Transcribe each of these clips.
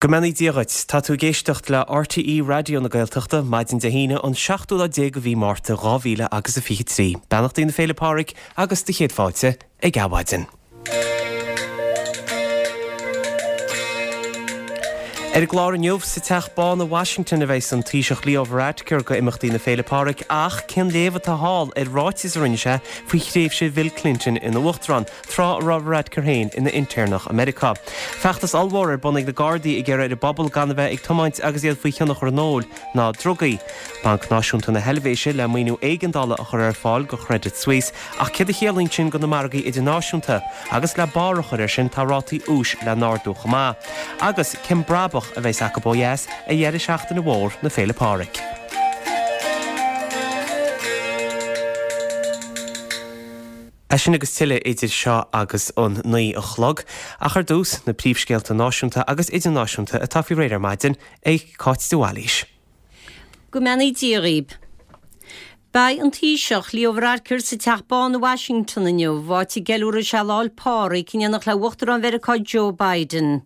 Go mbeannaí Dia dhuit. Tá tú ag éisteacht le RTÉ Raidió na Gaeltachta, maidin Dé hAoine an seachtú lá déag de mhí Márta 2000 agus a 23. Beannachtaí na Féile Pádraig agus do chéad fáilte ag Adhmhaidin. Ar an gclár inniu, sa Teach Bán i Washington a bheidhs an Taoiseach Leo Varadkar go imeachtaí na Féile Pádraig ach cén léamh atá thall ar ráiteas a rinne sé faoi thréimhse Bhill Clinton ina Uachtarán? tráth a raibh Varadkar féin ina intéirneach i Meiriceá. Feachtas ollmhór ar bun ag na Gardaí ag iarraidh ar an bpobal gan a bheith ag tiomáint agus iad faoi thionchar an óil ná drugaí. Banc Náisiúnta na hEilvéise le maoiniú éigeandála a chur ar fáil go Credit Suisse ach céard a chiallaíonn sin go na margaí idirnáisiúnta? Agus le barr a chur air sin tá rátaí úis le n-ardú chomh maith. Agus cén brabach a bheas acu ó dheas ar dheireadh seachtaine mhór na Féile Pádraig? É sin agus tuilleadh idir seo agus an 9 a chlog. Ach ar dtús, na príomhscéalta náisiúnta agus idirnáisiúnta atá faoi réir ar maidin ag Cáit de Bhailís. Go mbeannaí Dia dhaoib. Beidh an Taoiseach, Leo Varadkar sa Teach Bán i Washington inniu, áit a gceiliúrfaidh sé Lá 'le Pádraig in éineacht le Uachtarán Mheiriceá Joe Biden.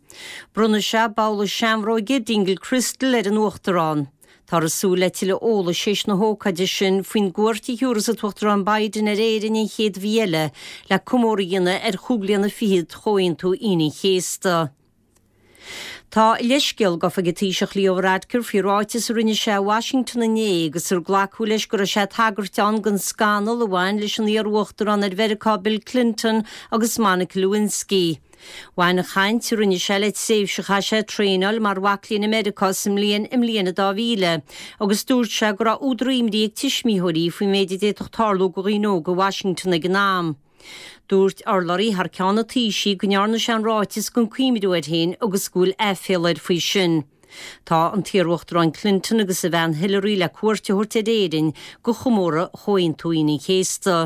Bronnfaidh sé babhla seanbhróige Dingle Crystal ar an Uachtarán. Táthar ag súil le tuilleadh eolais théis na hócáide sin faoin gcuairt a thiúrfas an tUachtarán Biden ar Éirinn an chéad mhí eile le comóradh a dhéanamh ar chúig bliana fichead de Chomhaontú Aoine an Chéasta. Tá a leithscéal gafa ag an Taoiseach Leo Varadkar faoi ráiteas a rinne sé i Washington inné agus ar glacadh leis go raibh sé ag tagairt ann don scannal a bhain leis an iar-uachtarán ar Mheiriceá Bill Clinton agus Monica Lewinsky. Bhain an chaint a rinne sé le tréimhse a chaith sé ag traenáil mar mhac léinn i Meiriceá sa mbliain i mbliain a 2000 agus dúirt sé go raibh údar imní ag tuismitheoirí faoin méid a d'fhéadfadh tarlú go dhaoine óga i Washington ag an am. Dúirt urlabhraí thar ceann an Taoisigh go ndearna sé an ráiteas gan cuimhniú air féin agus go bhfuil aiféala air faoi sin. Tá an t-iarUachtarán Clinton agus a bhean Hillary le cuairt a thabhairt ar Éirinn go chomóradh Chomhaontú Aoine an Chéasta.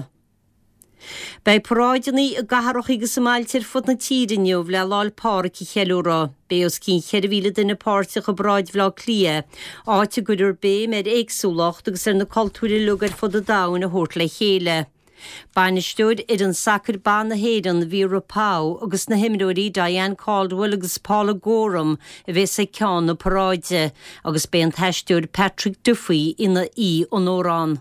Beidh paráideanna i gcathracha agus i mbailte ar fud na tíre inniu le Lá 'le Pádraig a cheiliúradh. Beidh os cionn 4,000 duine páirteach i bparáid Bhaile Átha Cliath, áit a gcuirfear béim ar éagsúlacht agus ar na cultúir uilig ar fud an domhain a thabhairt le chéile. Bainisteoir fhoireann sacair ban na hÉireann, Vera Pauw, agus na himreoirí Diane Caldwell agus Paula Gorham a bheas ag ceann na paráide agus beidh an t-aisteoir Patrick Duffy ina aoi onóra ann.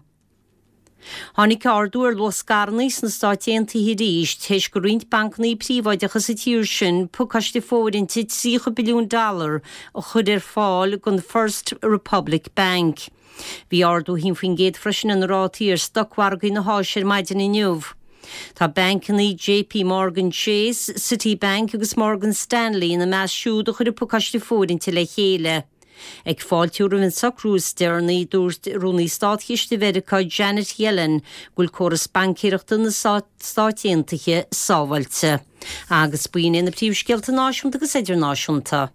Tháinig ardú ar luach scaireanna sna Stáit Aontaithe arís théis go roinnt bancanna príobháideacha sa tír sin pacáiste fóirithinte 30 billiún dollar a chur ar fáil don First Republic Bank. Bhí ardú 1% freisin ar na rátaí ar stocmhargaí na hÁise ar maidin inniu. Tá bancanna JP Morgan Chase, Citibank agus Morgan Stanley ina measc siúd a chuir an pacáiste fóirithinte le chéile. Ag fáiltiú roimh an socrú is deireanaí, dúirt Rúnaí Státchiste Mheiriceá Janet Yellen go bhfuil córas baincéireachta na Stáit Aontaithe sábháilte. Agus b'in iad na príomhscéalta náisiúnta agus idirnáisiúnta.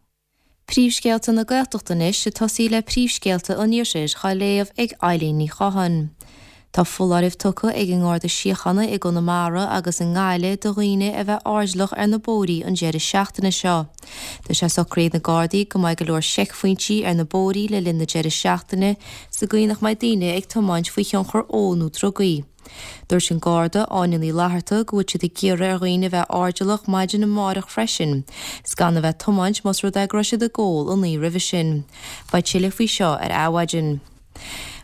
Príomhscéalta na Gaeltachta anois ag tosaí le príomhscéalta an Iarthair dhá léamh ag Eileen Ní Chatháin. Tá foláireamh tugtha ag an nGarda Síochána i gConamara agus i nGaillimh do dhaoine a bheith airdeallach ar na bóithrí an deireadh seachtaine seo. Tá sé socraithe ag na Gardaí go mbeidh go leor seicphointí ar na bóithrí le linn na deireadh seachtaine sa gcaoi nach mbeidh daoine ag tiomáint faoi thionchar óil nó drugaí. Dúirt an Garda Áine Ní Fhlatharta go bhfuil siad ag iarraidh ar dhaoine a bheith airdeallach maidin amárach freisin 's gan a bheith ag tiomáint más rud é go raibh siad ag ól an oíche roimhe sin. Beidh tuilleadh faoi seo ar Adhmhaidin.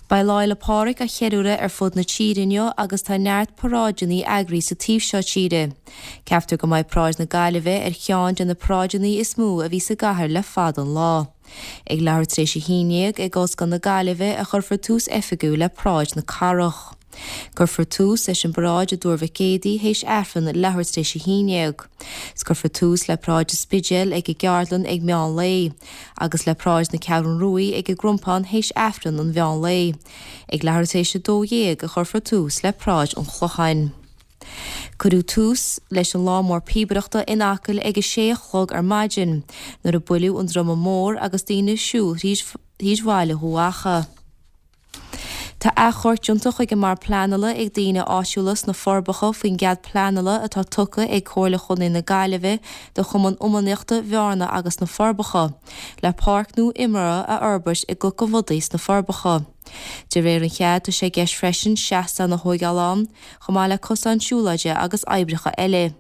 Beidh Lá Fhéile Pádraig á cheiliúradh ar fud na tíre inniu agus tá neart paráideanna eagraithe sa taobh seo tíre. Ceaptar go mbeidh Paráid na Gaillimhe ar cheann de na paráideanna is mó a bhí sa gcathair le fada an lá. Ag leathuair tar éis a haon dhéag ag Ollscoil na Gaillimhe a chuirfear tús oifigiúil le Paráid na Cathrach. Cuirfear tús leis an bparáid i dTuar Mhic Éadaigh théis Aifreann leathuair tar éis a haon dhéag. 'S cuirfear tús le Paráid an Spidéil ag an gCeardlann ag meán lae, agus le Paráid na Ceathrún Ruaidh ag an gCrompán théis Aifreann an mheán lae. Ag leathuair tar éis a 12 a chuirfear tús le Paráid an Chlocháin. Cuireadh tús leis an lá mór píobaireachta in Acaill ag a sé a chlog ar maidin, nuair a buaileadh an druma mór agus daoine ag siúl thríd bhaile Dhubh Acha. Tá achomharc déanta chuig an mBord Pleanála ag daoine áitiúla sna Forbacha faoin gcead pleanála atá tugtha ag Comhairle Chontae na Gaillimhe do Chumann Iománaíochta Bhearna agus na Forbacha le páirc nua imeartha a fhorbairt i gCnoc an Bhodaigh sna Forbacha. De réir an chead, tá sé i gceist freisin seastán a thóigeáil ann, chomh maith le cosán siúlóide agus oibreacha eile.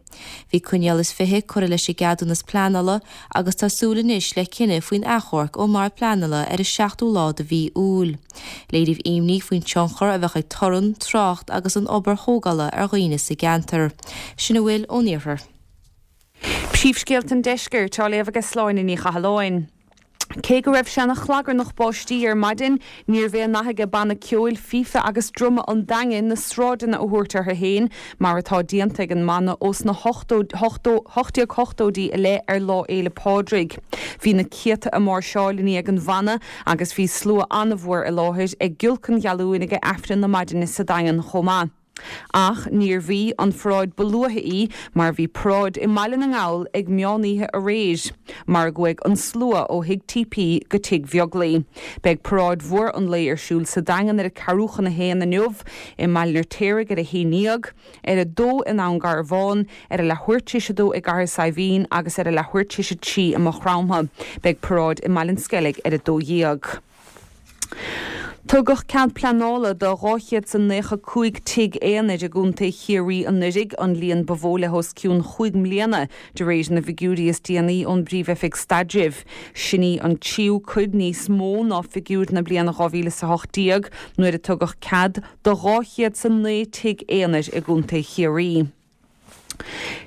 Bhí coinníoll is 20 curtha leis an gceadúnas pleanála agus tá súil anois le cinneadh faoin achomharc ón mBord Pleanála ar an seachtú lá de mhí Iúil. Léiríodh imní faoin tionchar a bheadh ag torann, trácht agus an obair thógála ar dhaoine sa gceantar. Sin a bhfuil ón iarthar. Príomhscéalta an Deiscirt á léamh aige Sláine Ní Chathalláin. Cé go raibh sé ina chlagarnach báistí ar maidin, níorbh é an nath aige banna ceoil fífe agus druma an Daingin na sráideanna a thabhairt orthu féin, mar atá déanta ag an mbanna ós na 1880idí i leith ar Lá Fhéile Pádraig. Bhí na céadta ag máirseáil i ndiaidh an bhanna agus bhí slua an-mhór i láthair ag giolc an ghealúin ag Aifreann na maidine sa Daingean chomh maith. Ach níorbh í an pharáid ba luaithe í mar bhí paráid i mBaile na nGall ag meán oíche aréir, mar a gcuaigh an slua ó Thigh TP go Tigh Bheaglaoí. Beidh paráid mhór an lae ar siúl sa Daingean ar a ceathrú chun a haon inniu, i mBaile an Fheirtéaraigh ar a haon dhéag, ar a dó i nDún Garbhán, ar a leathuair tar éis a dó i gCathair Saidhbhín agus ar a leathuair tar éis a trí i Maigh Chromtha. Beidh paráid i mBaile an Sceilg ar a dó dhéag. Tugadh cead pleanála do 295 tigh aonair i gContae Chiarraí anuraidh, an líon ba mhó le hos cionn chúig mbliana, de réir na bhfigiúirí is déanaí ón bPríomh-Oifig Staidrimh. Sin í an tríú cuid níos mó ná figiúir na bliana 2018, nuair a tugadh cead do 209 tigh aonair i gContae Chiarraí.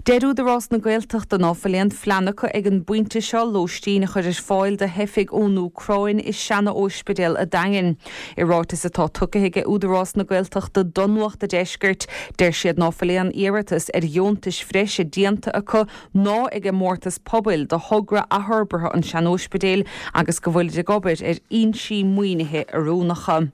Deir Údarás na Gaeltachta ná fuil aon phlean acu ag an bpointe seo lóistín a chur ar fáil do theifigh ón Úcráin i seana-óispidéal a' Daingin. I ráiteas atá tugtha aige Údarás na Gaeltachta do Nuacht a' Deiscirt, deir siad ná fuil aon iarratas ar dheontais bhreise déanta acu ná ag an mórtas pobail do thogra athfhorbartha an tsean-óispidéil agus go bhfuilid ag obair ar fhoinsí maoinithe oiriúnacha.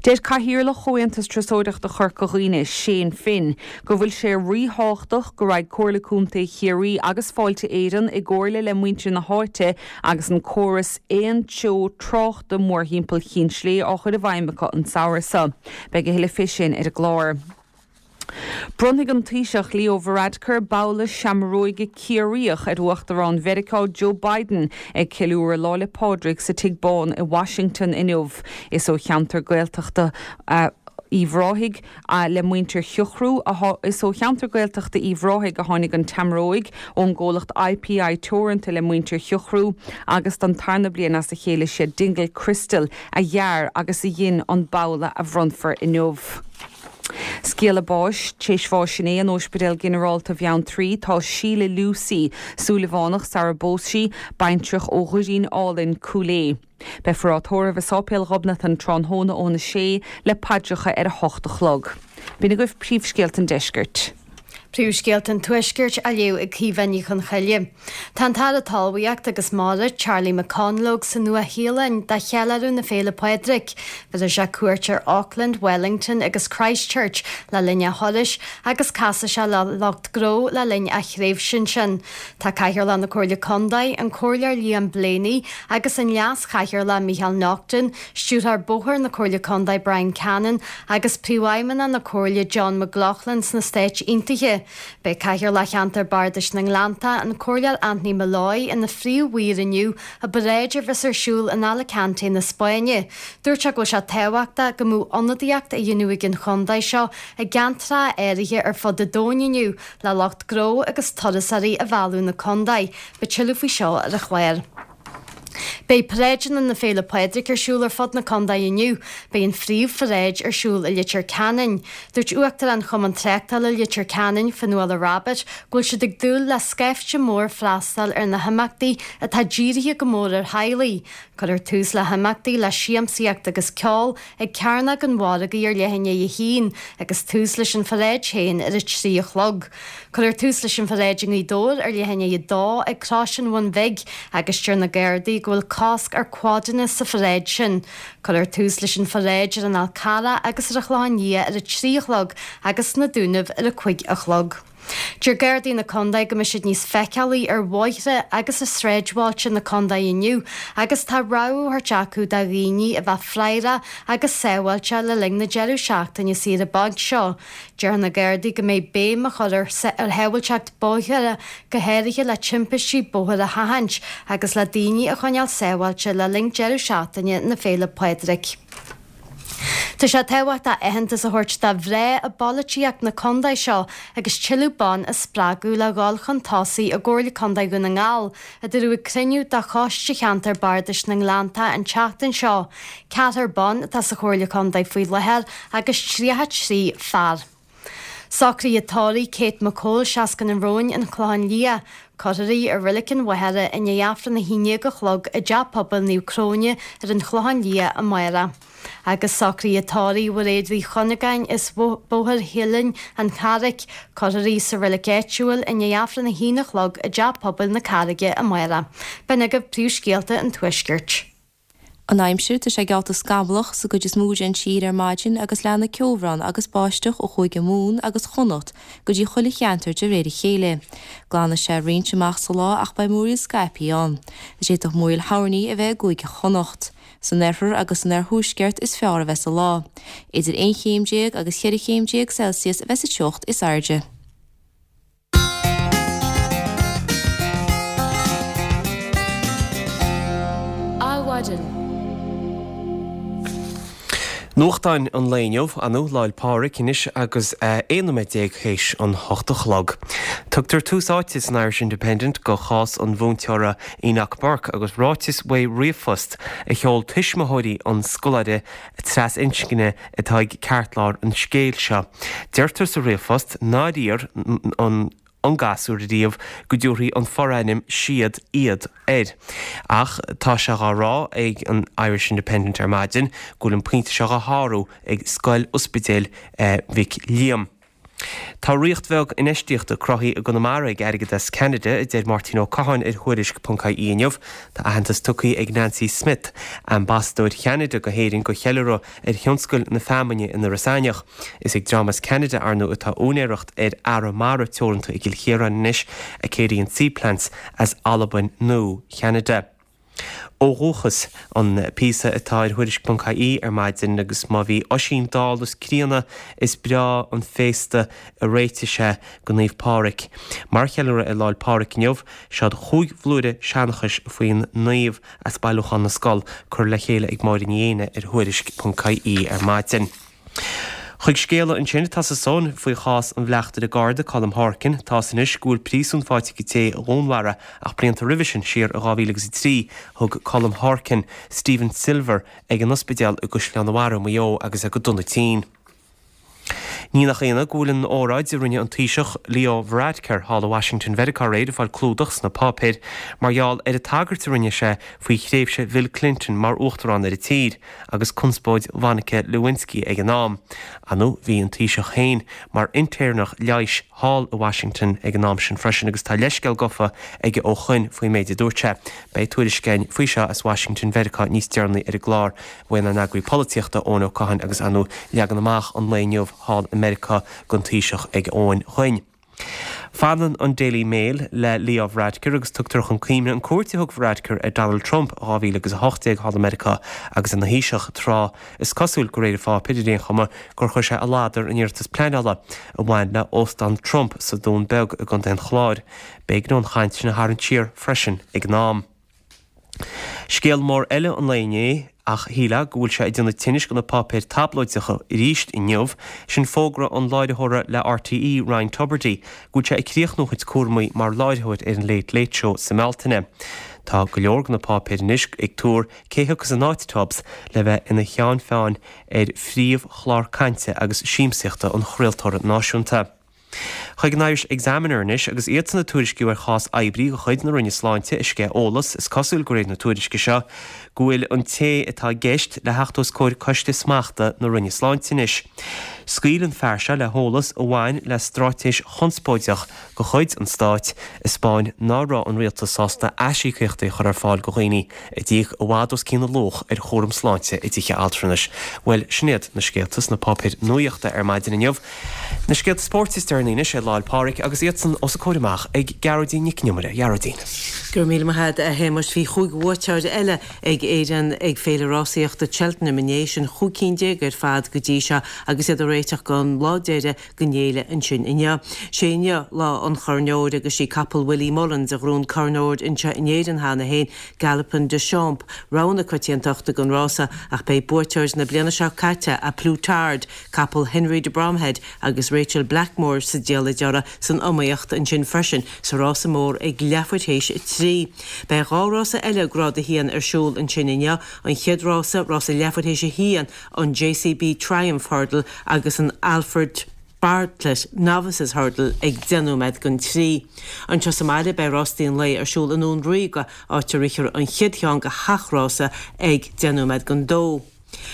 Deir Cathaoirleach Chomhaontas Turasóireachta Chorca Dhuibhne, Shane Finn, go bhfuil sé ríthábhachtach go raghaidh Comhairle Contae Chiarraí agus Fáilte Éireann i gcomhairle le muintir na háite agus an córas aon treo tráchta mórthimpeall Chinn Slé á chur i bhfeidhm acu an samhradh seo. Beidh a thuilleadh fé sin ar an gclár. Bronnfaidh an Taoiseach Leo Varadkar babhla seamróige Ciarraíoch ar Uachtarán Mheiriceá Joe Biden ag ceiliúradh Lá 'le Pádraig sa Tigh Bán i Washington inniu. Is ó cheantar Gaeltachta Uíbh Ráthaigh le muintir Shiochrú Is ó cheantar Gaeltachta Uíbh Ráthaigh a tháinig an tseamróig, ón gcomhlacht IPI Teoranta le muintir Shiochrú, agus don tarna bliain as a chéile siad Dingle Crystal a dhear agus a dhein an babhla a bhronnfar inniu. Scéala báis, T'éis bháis inné in Óispidéal Ginearálta Bheanntraí tá Síle Lucy, Súilleabhánach sara bpós sí, baintreach ó Dhoirín Álainn, Cúil Aodha. Beifear á tórramh i Sáipéal Ghobnatan tráthnóna óna sé le paidreacha ar a hocht a chlog. B'in agaibh príomhscéalta an deiscirt. Príomhscéalta an Tuaiscirt á léamh ag Caoimhe Ní Chonchoille. Tá an tAire Talmhaíochta agus Mara, Charlie McConalogue, sa Nua-Shéalainn do cheiliúradh na Féile Pádraig. Bhéarfaidh sé cuairt ar Auckland, Wellington agus Christchurch le linn a thurais agus casfaidh sé le lucht gnó le linn a thréimhse ansin. Tá Cathaoirleach na Comhairle Contae, an Comhairleoir Liam Blaney agus an Leas-Chathaoirleach Micheál Naughton, Stiúrthóir Bóthair na Comhairle Contae Brian Cannon agus Príomhfheidhmeannach na Comhairle John McLaughlin sna Stáit Aontaithe. Beidh Cathaoirleach Cheantar Bardais na nGleannta, an Comhairleoir Anthony Molloy, ina phríomh-mhaor inniu i bparáid a bheas ar siúl in Alicante na Spáinne. Dúirt sé go bhfuil sé tábhachtach go mbeadh ionadaíocht á dhéanamh ag an chontae seo i gceantracha áirithe ar fud an domhain inniu le lucht gnó agus turasóirí a mhealladh 'na contae. Beidh tuilleadh faoi seo ar an chlár. Beidh paráideanna na Féile Pádraig ar siúl ar fud na contae inniu. Beidh an phríomhpharáid ar siúl i Leitir Ceanainn. Dúirt Uachtarán Chumann Tráchtála Leitir Ceanainn, Fionnuala Rabbitte, go bhfuil siad ag dúil le scaifte mór freastal ar na himeachtaí atá dírithe go mór ar theaghlaigh. Cuirfear tús le himeachtaí le siamsaíocht agus ceol ag Cearnóg an Mhargaidh ar leath i ndiaidh a haon agus tús leis an pharáid féin ar a trí a chlog. Cuirfear tús leis an pharáid i nGaoth Dobhair ar leath i ndiaidh a dó ag Crois an Bhun Bhig agus deir na Gardaí go bhfuil cosc ar quadanna sa pharáid sin. Cuirfear tús leis an pharáid ar an Fhál Carrach agus ar an Chlochán Liath ar a 3 a chlog agus sna Dúnaibh ar a 5 a chlog. Deir Gardaí na Condae go mbeidh siad níos feiceálaí ar bhóithre agus i sráidbhailte na condae inniu agus tá rabhadh á thabhairt acu do dhaoine a bheith faireach agus sábháilte le linn na deireadh seachtaine saoire bainc seo. Deir na Gardaí go mbeidh béim á chur ar shábháilteacht bóithre, go háirithe le timpistí bóthair a sheachaint agus le daoine a choinneáil sábháilte le linn deireadh seachtaine na Féile Pádraig. Tá sé tábhachtach aitheantas a thabhairt do mhná i bpolaitíocht na condae seo agus tuilleadh ban a spreagadh le dhul chun tosaigh i gComhairle Condae Dhún na nGall, a dúradh ag cruinniú de Choiste Cheantar Bardais na nGleanntach an tseachtain seo. Ceathrar ban atá sa Chomhairle Condae faoi láthair agus 33 fear. Socruithe tórraimh Kate McCole, 60 na Róin, An Clochán Liath. Cuirfear í i Reilig an Mhachaire i ndiaidh Aifreann 11 a chlog i dTeach Pobail Naomh Cróine ar an Chlochán Liath amárach. Agus socruithe tórraimh Mhairéad Uí Chuinneagáin as Bóthar Shiollain, An Charraic. Cuirfear í sa reilig áitiúil i ndiaidh Aifreann 1 a chlog i dTeach Pobail na Carraige amárach. B'in agaibh príomhscéalta an Tuaiscirt. An aimsir, tá sé geallta scamallach sa gcuid is mó den tír ar maidin agus leanfaidh ceobhrán agus báisteach ó Chúige Mumhan agus Chonnacht go dtí chuile cheantar de réir a chéile. Glanfaidh sé roinnt amach sa lá ach beidh múraíl scaipthe ann. D'fhéadfadh múraíl thoirní a bheith i gCúige Chonnacht. San oirthear agus san oirthuaisceart is fearr a bheas an lá. Idir 11 chéim agus 14 chéim Celsius a bheas an teocht is airde. Adhmhaidin. Nuachtáin an lae inniu, ar ndóigh, Lá 'le Pádraig anois agus 11 nóiméad théis an hocht a chlog. Tugtar tús áite san Irish Independent go chás an mhúinteora Enoch Burke agus ráiteas uaidh ríomhphost a sheol tuismitheoirí an scoláire trasinscne atá ag ceartlár an scéil seo. Deirtear sa ríomhphost nár iarr an an gasúr riamh go dtabharfaí an forainm 'siad', 'iad' air. Ach tá sé dhá rá ag an Irish Independent ar maidin go bhfuil an pointe seo dhá shárú ag Scoil Ospidéil Mhic Liam. Tá ríocht bheag infheistíochta cruthaithe i gConamara ag airgead as Ceanada, a deir Máirtín Ó Catháin ar Thuairisc ponc ie inniu. Tá aitheantas tugtha ag Nancy Smith, Ambasadóir Cheanada go hÉirinn go cheiliúradh ar thionscal na feamainne in Iorras Aithneach. Is ag dream as Ceanada, ar ndóigh, atá úinéireacht ar Arramara Teoranta i gCill Chiaráin anois, Acadian Seaplants as Albain nó Cheanada. Ó dhúchas, an píosa atá ar Thuairisc ponc ie ar maidin agus má bhí Oisín dall is críonna is breá an féasta a réitigh sé go Naomh Pádhraic. Mar cheiliúradh ar Lá 'le Pádhraic inniu, seod chúig bhlúire seanchais faoin naomh as Bailiúchán na Scol curtha le chéile ag Máire Ní Éanna ar Thuairisc ponc ie ar maidin. Chuig scéala ansin atá sa Sun faoi chás an bhleachtaire Garda, Colm Horkan. Tá's anois go bhfuil príosún faighte ag an té a dhúnmharaigh ach blianta roimhe sin, siar i 2003, thug Colm Horkan Stephen Silver ag an ospidéal i gCaisleán an Bharraigh, Maigh Eo agus é go dona tinn. Ní nach ionadh go bhfuil an óráid a rinne an Taoiseach Leo Varadkar thall i Washington Mheiriceá aréir ag fáil clúdach sna páipéir mar gheall ar an tagairt a rinne sé faoi thréimhse Bhill Clinton mar uachtarán ar an tír. agus conspóid Mhonica Lewinsky ag an am. Ar ndóigh, bhí an Taoiseach féin mar intéirneach leighis thall i Washington ag an am sin freisin agus tá leithscéal gofa aige ó shoin faoin méid a dúirt sé. Beidh tuairisc againn faoi seo as Washington Mheiriceá níos deireanaí ar an gclár uainár n-eagraí polaitíochta, Eoin Ó Catháin agus ar ndóigh leagan amach an lae inniu thall i Meiriceá don Taoiseach ag Eoin Dhuinn. Fanann an Daily Mail le Leo Varadkar agus tugtar chun cuimhne an cuairt a thug Varadkar ar Donald Trump i 2018 thall i Meiriceá agus ina Thaoiseach, tráth, is cosúil, de réir an pháipéir ar aon chuma, gur chuir sé a ladar in iarratas pleanála a bhain le Óstán Trump sa Dún Beag i gContae an Chláir. B'éigean dó an chaint sin a tharraingt siar freisin ag an am. Scéal mór eile an lae inné, ach shílfeá go bhfuil sé ag déanamh tinnis do na páipéir tablóideacha arís inniu, sin fógra an láithreora le RTÉ, Ryan Tubridy, go bhfuil sé ag críochnú a chuid cúramaí mar láithreoir ar an Late Late Show sa mBealtaine. Tá go leor de na páipéir anois ag tuar cé thiocfas in áit Tubbs le bheith ina cheann feadhain ar phríomhchlár cainte agus siamsaíochta an chraoltóra náisiúnta. Chuig an Irish Examiner anois agus iadsan ag tuairisciú ar chás oibrí de chuid na Roinne Sláinte a sceith eolas, is cosúil de réir na tuairisce seo go bhfuil an té atá i gceist le theacht os comhair Coiste Smachta na Roinne Sláinte anois. Scaoil an fear seo le heolas a bhain le straitéis chonspóideach de chuid an stáit a 'spáin ná raibh an rialtas sásta aisíocaíochtaí a chur ar fáil do dhaoine a d'íoc i bhfad os cionn a luach ar chúram sláinte i dtithe altranais. Bhuel, sin iad na scéalta sna páipéir nuaíochta ar maidin inniu. Na scéalta spóirt is deireanaí anois ar Lá 'le Pádraig agus iadsan os a comhair amach ag Gearóidín Nic an Iomaire. A Ghearóidín. Go raibh míle maith agat, a Shéamais. Bhí chúig bhuaiteoir eile ag Éirinn ag Féile Rásaíochta Cheltenham inné, sin chúig cinn déag ar fad go dtí seo agus iad ag réiteach don lá deiridh den fhéile ansin inniu. Sé inniu lá an Choirn Óir agus sí capall Willie Mullins a ghnóthaigh an Corn Óir anseo in Éirinn cheana féin, Galopin Des Champs, rogha na coitiantachta don rása ach beidh buaiteoir na bliana seo caite, A Plus Tard, capall Henry de Bromhead agus Rachael Blackmore sa diallait orthu san iomaíocht ansin freisin sa rása mór ag leathuair théis a 3. Beidh dhá rása eile Grád 1 ar siúl ansin inniu, an chéad rása, rása leathuair théis a haon, an JCB Triumph Hurdle agus an Alfred Bartlett Novices Hurdle ag 10 nóiméad don 3. Anseo sa mbaile beidh rástaí an lae ar siúl i nDún Ríoga, áit a rithfear an chéad cheann de sheacht rása ag 10 nóiméad don 2.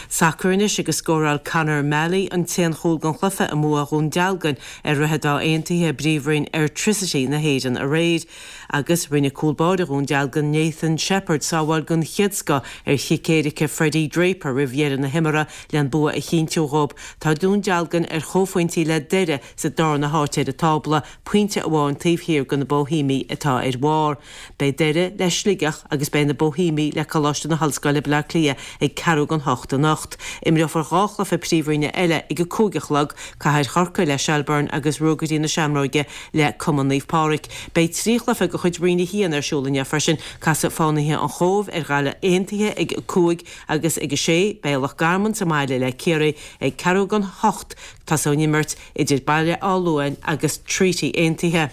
Sacar anois agus scóráil Conor Malley an t-aon chúl den chluiche i mbua Dhún Dealgan ar Dhroichead Átha Aontaithe i bPríomhroinn Airtricity na hÉireann aréir. Agus rinne cúl báire Dhún Dealgan Nathan Sheppard sábháil den chéad scoth ar chic éirice Freddie Draper roimh dheireadh na himeartha len bua a chinntiú dhóibh. Tá Dún Dealgan ar chomhphointí le Doire sa darna háit ar an tábla, pointe amháin taobh thiar de na Boihéimigh atá ar bharr. Beidh Doire le Sligeach agus beidh na Boihéimigh le Coláiste na hOllscoile Baile Átha Cliath ag ceathrú don hocht anocht. Imreofar 2 chluiche Príomhroinne eile ag a 5 a chlog, Cathair Chorcaí le Shelbourne agus Ruagairí na Seamróige le Cumann Naomh Pádraig. Beidh 3 chluiche de chuid Roinn 1 ar siúl inniu freisin, casfaidh Fánaithe an Chóibh ar Ghaillimh Aontaithe ag 5 agus ag 6 beidh Loch Garman sa mbaile le Ciarraí ag ceathrú don hocht. Tosóidh an imirt idir Baile Átha Luain agus Treaty Aontaithe.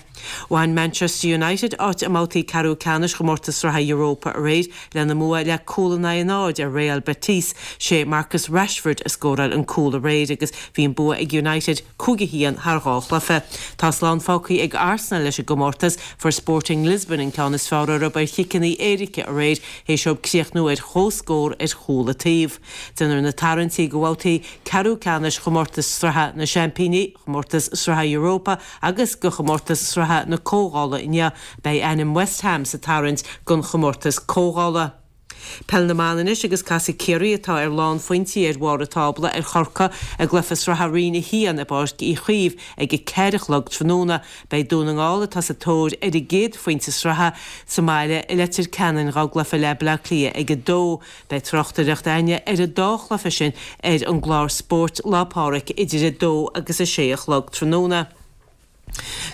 Bhain Manchester United áit i mbabhtaí ceathrú ceannais chomórtas sraithe Europa aréir lena mbua le cúl in aghaidh a náid ar Real Betis. Sé Marcus Rashford a scóráil an cúl aréir agus bhí an bua ag United 5-1 thar dhá chluiche. Tá slán fágtha ag Arsenal leis an gcomórtas. Fuair Sporting Lisbon an ceann is fearr orthu ar chiceanna éirice aréir théis dóibh críochnú ar chomhscór ar chúl an taobh. Déanfar na tarraingtí do bhabhtaí ceathrú ceannais chomórtas sraithe na Seaimpíní, chomórtas sraithe Europa agus do chomórtas sraithe na Comhdhála inniu. Beidh ainm West Ham sa tarraingt don chomórtas Comhdhála. Peil na mBan anois agus casfaidh Ciarraí, atá ar lánphointí ar bharr an tábla, ar Chorcaigh i gcluiche sraithe Roinn 1 i bPáirc Uí Chaoimh ag 4 a chlog tráthnóna. Beidh Dún na nGall, atá sa tóir ar a gcéad phointe sraithe, sa mbaile i Leitir Ceanainn dá gcluiche le Baile Átha Cliath ag 2. Beidh tráchtaireacht againne ar an dá chluiche sin ar an gclár Spóirt Lá Pádraig idir 2 agus 6 a chlog tráthnóna.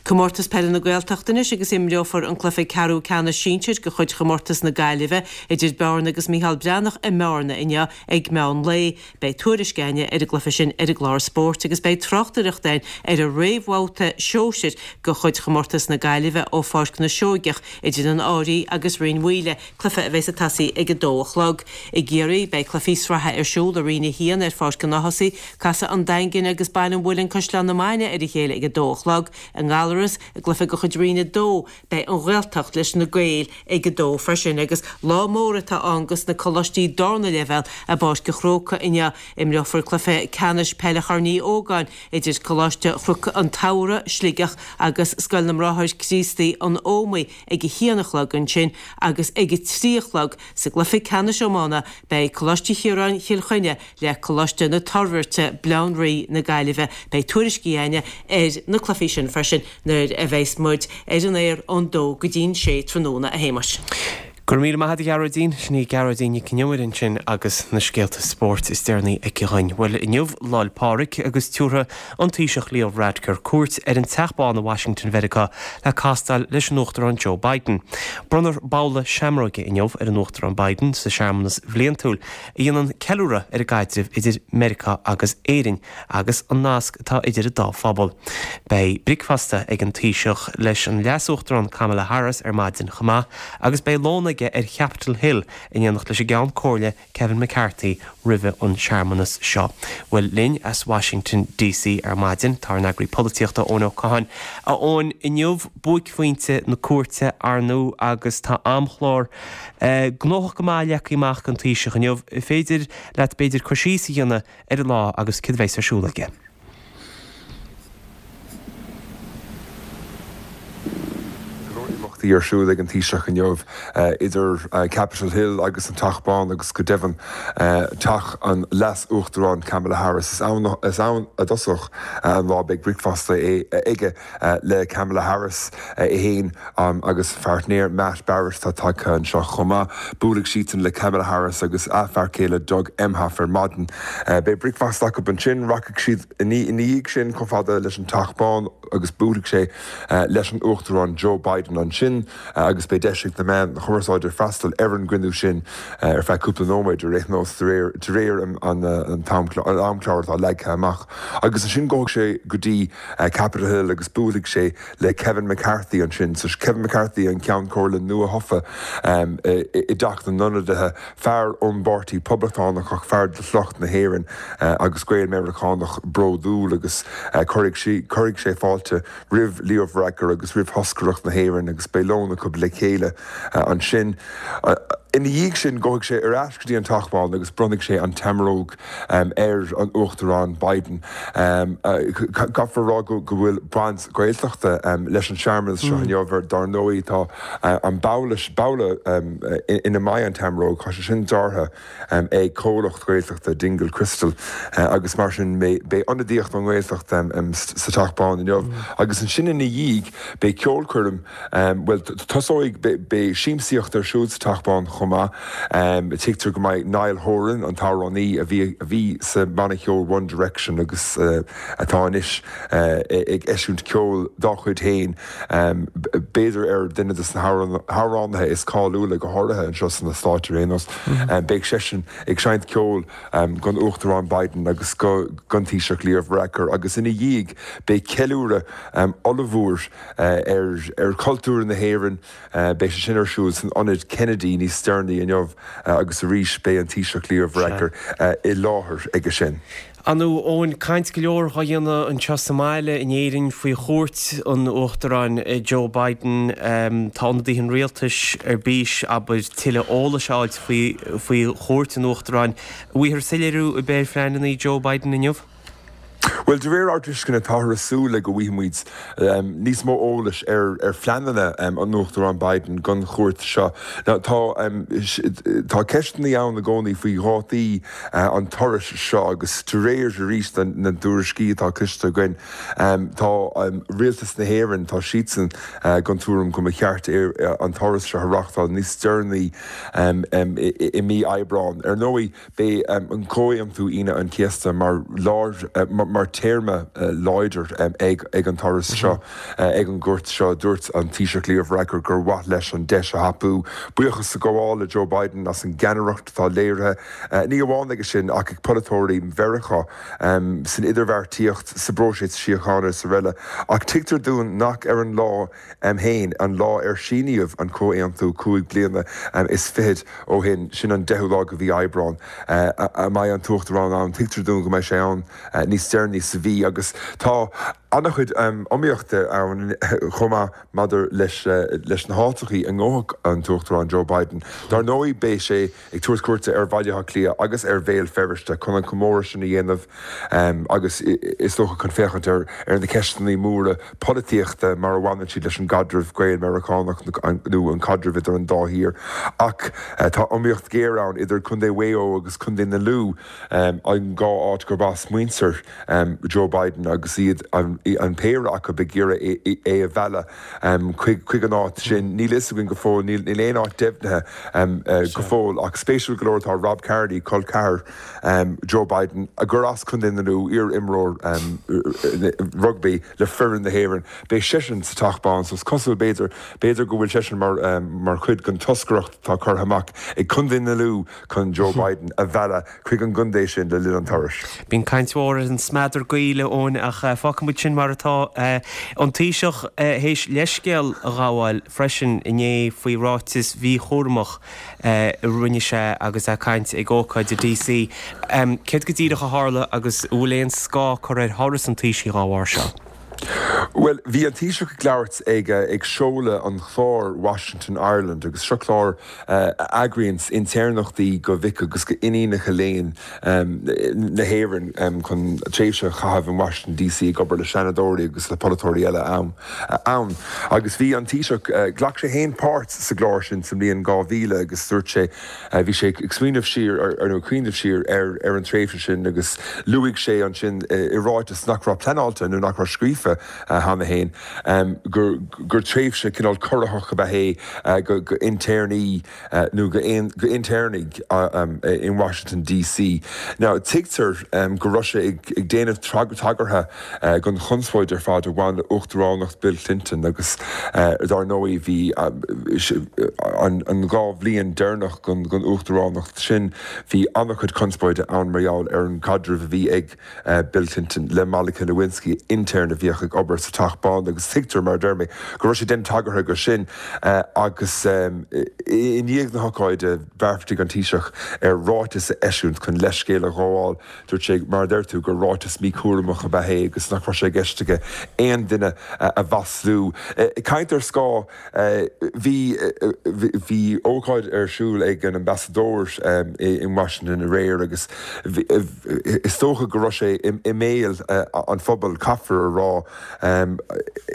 Comórtas Peile na Gaeltachta anois agus imreofar an cluiche ceathrú ceannais sinsir de chuid chomórtas na Gaillimhe idir Bearna agus Micheál Breathnach i mBearna inniu ag meán lae. Beidh tuairisc againne ar an gcluiche sin ar an gclár spóirt agus beidh tráchtaireacht againn ar an réamhbhabhta sóisir de chuid chomórtas na Gaillimhe ó Pháirc na Seoigeach idir an Áirí agus Rinn Mhaoile cluiche a bheas ag tosaí ag 2 a chlog. I gCiarraí, beidh cluichí sraithe ar siúl i Roinn 1 ar Pháirc an Ághasaigh. Casfaidh an Daingean agus Baile an Mhuilinn Caisleán na Mainge ar a chéile ag 2 a chlog. I nGallaras, i gcluiche de chuid Roinn 2, beidh an Ghaeltacht leis na Gaeil ag 2 freisin agus lá mór atá ann dos na coláistí darna leibhéal i bPáirc an Chrócaigh inniu. Imreofar cluiche ceannais peile Chorn Uí Ógáin idir Coláiste Chnoc an tSamhraidh, Sligeach agus Scoil na mBráthar Críostaí, An Ómaigh ag a haon a chlog ansin agus ag a trí a chlog sa gcluiche ceannais iomána beidh Coláiste Chiaráin Chill Chainnigh le Coláiste na Toirbhirte, Baile Átha an Rí na Gaillimhe. Beidh tuairiscí againne ar na cluichí sin freisin nuair a bheas muid ar an aer ón dó go dtí'n sé tráthnóna, a Shéamais. Go raibh míle maith agat a Ghearóidín. Sin í Gearóidín Nic an Iomaire ansin agus na scéalta spóirt is deireanaí aici dhuinn. Bhuel, inniu Lá 'le Pádraig agus tiúrfaidh an Taoiseach Leo Varadkar cuairt ar an Teach Bán i Washington Mheiriceá le castáil leis an Uachtarán Joe Biden. Bronnfar babhla seamróige inniu ar an Uachtarán Biden sa searmanas bhliantúil a dhéanann ceiliúradh ar an gcaidreamh idir Meiriceá agus Éirinn agus an nasc atá idir an dá phobal. Beidh bricfeasta ag an Taoiseach leis an Leas-Uachtarán Kamala Harris ar maidin chomh maith agus beidh lón aige ar Chapitol Hill in éineacht leis an gCeann Comhairle Kevin McCarthy roimhe an searmanas seo. Bhuel, linn as Washington DC ar maidin tá ár n-eagraí polaitíochta Eoin Ó Catháin. A Eoin, inniu buaicphointe na cuairte ar ndóigh agus tá amchlár gnóthach go maith leagtha amach ag an Taoiseach inniu. Féidir leat b'fhéidir cur síos a dhéanamh ar an lá agus céard a bheas ar siúl aige. imeachtaí ar siúl ag an Taoiseach inniu, idir Capitol Hill agus an Teach Bán agus go deimhin teach an Leas-Uachtaráin Kamala Harris. Is ann a dtosóidh an lá. Beidh bricfeasta aige le Kamala Harris, é féin agus a pháirtnéir Matt Barrett atá tagtha anseo chomh maith. Buailfidh siadsan le Kamala Harris agus a fear céile Doug Emhoff ar maidin. Beidh bricfeasta acu ansin. Rachaidh siad ina dhiaidh sin chomh fada leis an Teach Bán agus buailfidh sé leis an Uachtarán Joe Biden ansin agus beidh deis ag na meáin chumarsáide freastal ar an gcruinniú sin ar feadh cúpla nóiméad ar aon nós de réir an amchláir atá leagtha amach. Agus ansin gabhfaidh sé go dtí Capitol Hill agus buailfidh sé le Kevin McCarthy ansin. So Kevin McCarthy, an Ceann Comhairle nua-thofa i dTeach na nIonadaithe, fear ón bPáirtí Poblachtánach ach fear de shliocht na hÉireann agus Gael-Meiriceánach bródúil agus cuirfidh sé fáilte roimh Leo Varadkar agus roimh thoscaireacht na hÉireann agus beidh lón acu le chéile ansin. Ina dhiaidh sin gabhfaidh sé ar ais go dtí an Teach Bán agus bronnfaidh sé an tSeamróg ar an Uachtarán Biden. Caithfear a rá go bhfuil baint Ghaeltachta leis an searmanas seo inniu. Dar ndóigh tá an babhla ina mbeidh an tseamróg, tá sé sin deartha ag comhlacht Gaeltachta, Dingle Crystal, agus mar sin beidh ionadaíocht ón nGaeltacht sa Teach Bán inniu. Agus ansin ina dhiaidh beidh ceolchoirm, bhuel tosóidh, beidh siamsaíocht ar siúl sa Teach Bán chomh maith. Tuigtear go mbeidh Niall Horan, an t-amhránaí a bhí a bhí sa mbanna ceoil One Direction agus atá anois ag eisiúint ceoil dá chuid féin, b'fhéidir ar duine de na hamhránaithe is cáiliúla, go háirithe anseo sna Stáit ar aon nós. Beidh seisean ag seinnt ceoil don Uachtarán Biden agus don Taoiseach Leo Varadkar agus ina dhiaidh beidh ceiliúradh ollmhór ar chultúr na hÉireann. Beidh sé sin ar siúl san Ionad Kennedy níos deireanaí inniu agus arís beidh an Taoiseach Leo Varadkar i láthair aige sin. Ar ndóigh, Eoin, caint go leor dhá dhéanamh anseo sa mbaile in Éirinn faoi chuairt an Uachtaráin Joe Biden. Tá ionadaithe an rialtais ar bís, abair, tuilleadh eolais a fháilt faoi chuairt an Uachtaráin. An bhfaighfear soiléiriú ar bith ar phleananna Joe Biden inniu? Bhuel, de réir ár dtuisceana, táthar ag súil le go bhfaighidh muid níos mó eolais ar phleananna an Uachtaráin Biden don chuairt seo. Tá tá ceisteanna ann i gcónaí faoi dhátaí an turais seo agus de réir arís na dtuairiscí atá cloiste againn, tá Rialtas na hÉireann, tá siadsan den tuairim go mba cheart an turas seo a reáchtáil níos deireanaí i mí Aibreáin. Ar ndóigh, Beidh an Comhaontú Aoine an Chéasta mar lár, mar téarma láidir ag an turas seo, ag an gcuairt seo. Dúirt an Taoiseach Leo Varadkar gur mhaith leis an deis a thapú buíochas a ghabháil le Joe Biden as an gceannaireacht atá léirithe, ní amháin aige sin ach ag polaiteoirí Mheiriceá san idirbheartaíocht, sa bpróiseas síochána is araile. Ach tuigtear dúinn nach ar an lá féin, an lá ar síníodh an comhaontú chúig bliana is fichead ó shin, sin an deichiú lá de mhí Aibreán, a mbeidh an tUachtarán ann. Tuigtear dúinn go mbeidh sé ann níos deireanaí sa mhí agus tá an-chuid iomaíochta ann chomh maith maidir leis na háiteachaí a ngabhfaidh an tUachtarán Joe Biden. Dar ndóigh beidh sé ag tabhairt cuairte ar Bhaile Átha Cliath agus ar Bhéal Feirste chun an comóradh sin a dhéanamh agus is dócha chun féachaint ar na ceisteanna móra polaitíochta mar a bhaineann siad leis an gcaidreamh Gael-Meiriceánach nó an caidreamh idir an dá thír. Ach tá iomaíocht ghéar ann idir Contae Mhaigh Eo agus Contae na Lú, an dhá áit gurb as muintir Joe Biden agus iad an péire acu ag iarraidh é a mhealladh. chuig an áit sin. Níl a fhios againn go fóill, níl aon áit deimhnithe go fóill ach spéisiúil go leor tá Rob Kearney, col ceathar Joe Biden, gur as Contae na Lú, iar-imreoir rugbaí le foireann na hÉireann, beidh seisean sa Teach Bán so is cosúil b'fhéidir, b'fhéidir go bhfuil seisean mar chuid den toscaireacht atá curtha amach ag Contae na Lú chun Joe Biden a mhealladh chuig an gcontae sin le linn an turais. Bíonn caint mhór ar an smeadar gaoil, a Eoin, ach fágfaidh muid sin mar atá. An Taoiseach théis leithscéal a ghabháil freisin inné faoi ráiteas mhíchúramach a rinne sé agus é ag caint ag ócáid i DC. Céard go díreach a tharla agus an bhfuil aon scáth curtha ar thuras an Taoisigh dá bharr seo? Bhuel, bhí an Taoiseach ag labhairt ag ag seoladh an chláir Washington Ireland agus seo clár a eagraíonns intéirneachtaí go mhic agus go iníonacha léinn na hÉireann chun tréimhse a chaitheamh in Washington DC ag obair le seanadóirí agus le polaiteoirí eile ann. Agus bhí an Taoiseach, ghlac sé féin páirt sa gclár sin sa mbliain 2000 agus dúirt sé, Bhí sé ag smaoineamh siar ar, nó ag cuimhneamh siar ar, ar an tréimhse sin agus luaigh sé ansin i ráiteas nach raibh pleanáilte nó nach raibh scríofa cheana féin, gur, gur tréimhse cineál corraitheach ab ea é go, go intéirní nó go, go intéirnigh in Washington DC. Now tuigtear go raibh sé ag, ag déanamh tagartha don chonspóid ar fad a bhain le uachtaránacht Bill Clinton agus dar ndóigh bhí an 2 bhliain deireanach den uachtaránacht sin bhí an-chuid conspóide ann mar gheall ar an gcaidreamh a bhí ag Bill Clinton le Monica Lewinsky, intéirn a bhíodh ag obair sa Teach Bán agus tuigtear, mar a deir mé, go raibh sé ag déanamh tagartha go sin agus i ndiaidh na hocáide bheartaigh an Taoiseach ar ráiteas a eisiúint chun leithscéal a ghabháil. Dúirt sé, mar a deir tú, gur ráiteas míchúramach ab ea é agus nach raibh sé i gceist aige aon duine a mhaslú. Ag caint ar scáth, bhí bhí ócáid ar siúl ag an ambasadóir in Washington aréir agus is dócha go raibh sé i mbéal an phobail, caithfear a rá.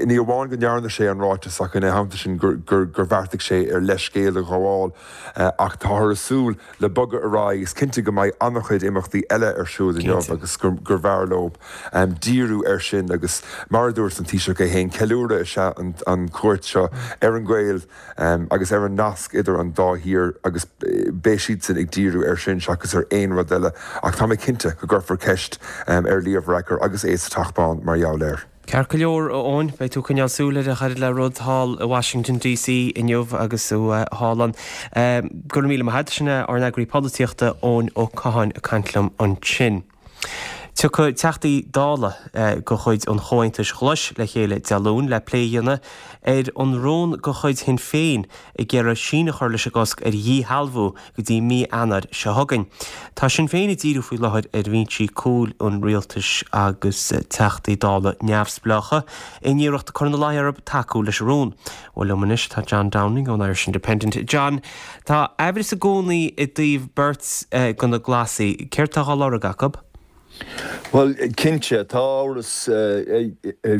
Ní amháin go ndearna sé an ráiteas ach ina theannta sin gur bheartaigh sé ar leithscéal a ghabháil ach táthar ag súil le bogadh ar aghaidh. Is cinnte go mbeidh an-chuid imeachtaí eile ar siúl inniu agus gurbh fhearr leo díriú air sin agus mar a dúirt an Taoiseach é féin, ceiliúradh is ea an chuairt seo ar an ghaol agus ar an nasc idir an dá thír agus beidh siadsan ag díriú air sin seachas ar aon rud eile ach tá mé cinnte go gcuirfear ceist ar Leo Varadkar agus é sa Teach Bán mar gheall air. Ceart go leor, a Eoin, beidh tú ag coinneáil súil ar a oiread le rud thall i Washington DC inniu agus thú thall ann. Go raibh míle maith agat, sin é ár n-eagraí polaitíochta, Eoin Ó Catháin ag caint liom ansin. Tiocfaidh Teachtaí Dála de chuid an Chomhaontais Ghlais le chéile Dé Luain le plé a dhéanamh ar an rún de chuid Shinn Féin ag iarraidh síneadh a chur leis an gcosc ar dhíshealbhú go dtí mí Eanáir seo chugainn. Tá Sinn Féin ag díriú faoi láthair ar bhinsí cúil an rialtais agus Teachtaí Dála neamhspleácha in iarracht cur ina luí orthu tacú leis an rún. Bhuel liom anois tá John Downing ón Irish Independent. John, tá aimhreas i gcónaí i dtaobh beirt de na Glasaigh. Céard tá á lorg acu? Bhuel, cinnte, tá amhras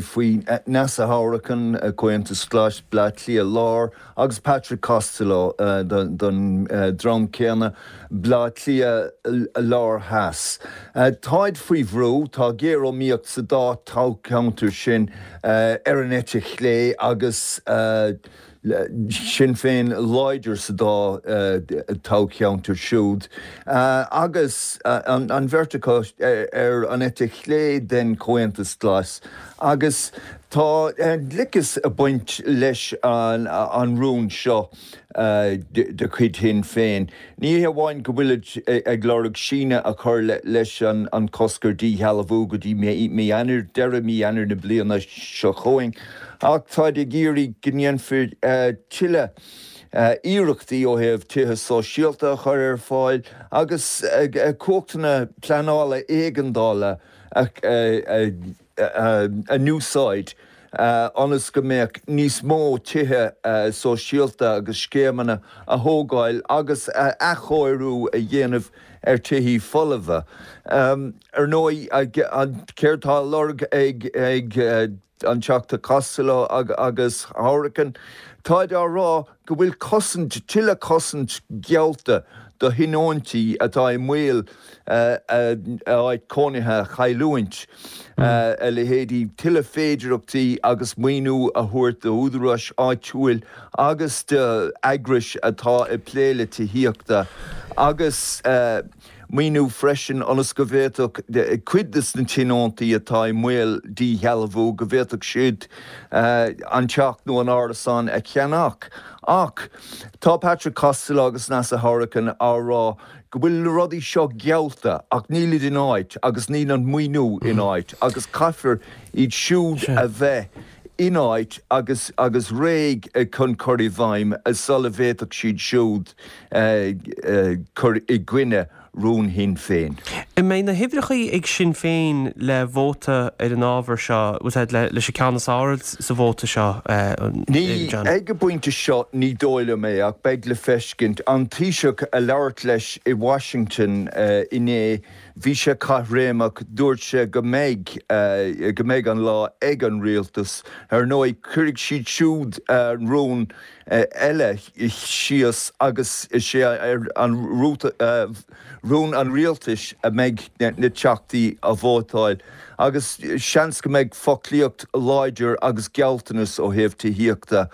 faoi Neasa Hourican, Comhaontas Glas, Bleá Cliath Láir, agus Patrick Costello don dream céanna, Bleá Cliath Láir Theas. Táid faoi bhrú, tá géariomaíocht sa dá toghcheantar sin ar an eite chlé agus Sinn Féin láidir sa dá toghcheantar siúd agus an bheirt acu ar an eite chlé den Chomhaontas Glas agus tá gliceas ag baint leis an rún seo de chuid Shinn Féin. Ní hé amháin go bhfuilid ag lorg síneadh a chur leis an chosc ar dhíshealbhú go dtí mí Eanáir, deireadh mí Eanáir na bliana seo chugainn, ach táid ag iarraidh go ndéanfar tuilleadh iarrachtaí ó thaobh tithe sóisialta a chur ar fáil agus cumhachtanna pleanála éigeandála a a n-úsáid ionas go mbeadh níos mó tithe sóisialta agus scéimeanna a thógáil agus athchóiriú a dhéanamh ar tithí folmha. Ar ndóigh, céard tá á lorg ag an Teachta Costello agus Hourican? Táid á rá go bhfuil cosaint, tuilleadh cosaint geallta do thionóntaí atá i mbaol a áit cónaithe a chailliúint, a leithéidí tuilleadh féidearthachtaí agus maoiniú a thabhairt d'údaráis áitiúil agus d'eagrais atá ag plé le tithíochta agus. Maoiniú freisin ionas go bhféadfadh cuid de na tionóntaí atá i mbaol díshealbhú, go bhféadfadh siad an teach nó an árasán a cheannach. Ach tá Patrick Costello agus Neasa Hourican á rá go bhfuil na rudaí seo geallta ach nílid in áit agus níl an maoiniú in áit agus caithfear iad siúd a bheith in áit agus agus réidh chun cur i bhfeidhm sula bhféadfadh siad siúd cur i gcoinne. rún Shinn Féin. An mbeidh na huimhreacha ag Sinn Féin le vóta ar an ábhar seo, bhfuil a fhios a'd, leis an ceann is fearr sa vóta seo, John? Ag an bpointe seo ní dóigh liom é ach beidh le feiscint. An Taoiseach ag labhairt leis i Washington inné, bhí sé caithréimeach, dúirt sé go mbeidh, go mbeidh an lá ag an rialtas. Ar ndóigh cuirfidh siad siúd rún eile síos agus is é an rún an rialtais a mbeidh na teachtaí a vótáil agus seans go mbeidh foclaíocht láidir agus gealltanas ó thaobh tithíochta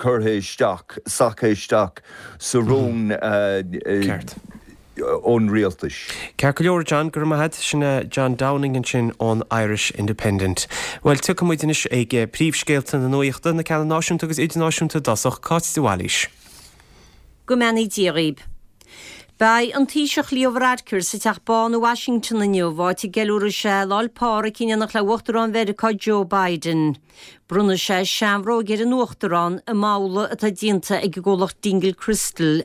curtha isteach, sactha isteach sa rún. ón rialtais. Ceart go leor, John, go raibh maith agat. Sin é John Downing ansin ón Irish Independent. Bhuel, tiocfaidh muid anois ag príomhscéalta na nuachta, na ceanna náisiúnta agus idirnáisiúnta i dtosach. Cáit de Bhailís. Go mbeannaí Dia dhaoib. Beidh an Taoiseach Leo Varadkar sa Teach Bán i Washington inniu, áit a gceiliúrfaidh sé Lá 'le Pádraig in éineacht le Uachtarán Mheiriceá Joe Biden. Bronnfaidh sé seanbhróig ar an Uachtarán i mbabhla atá déanta ag an gcomhlacht Dingle Crystal.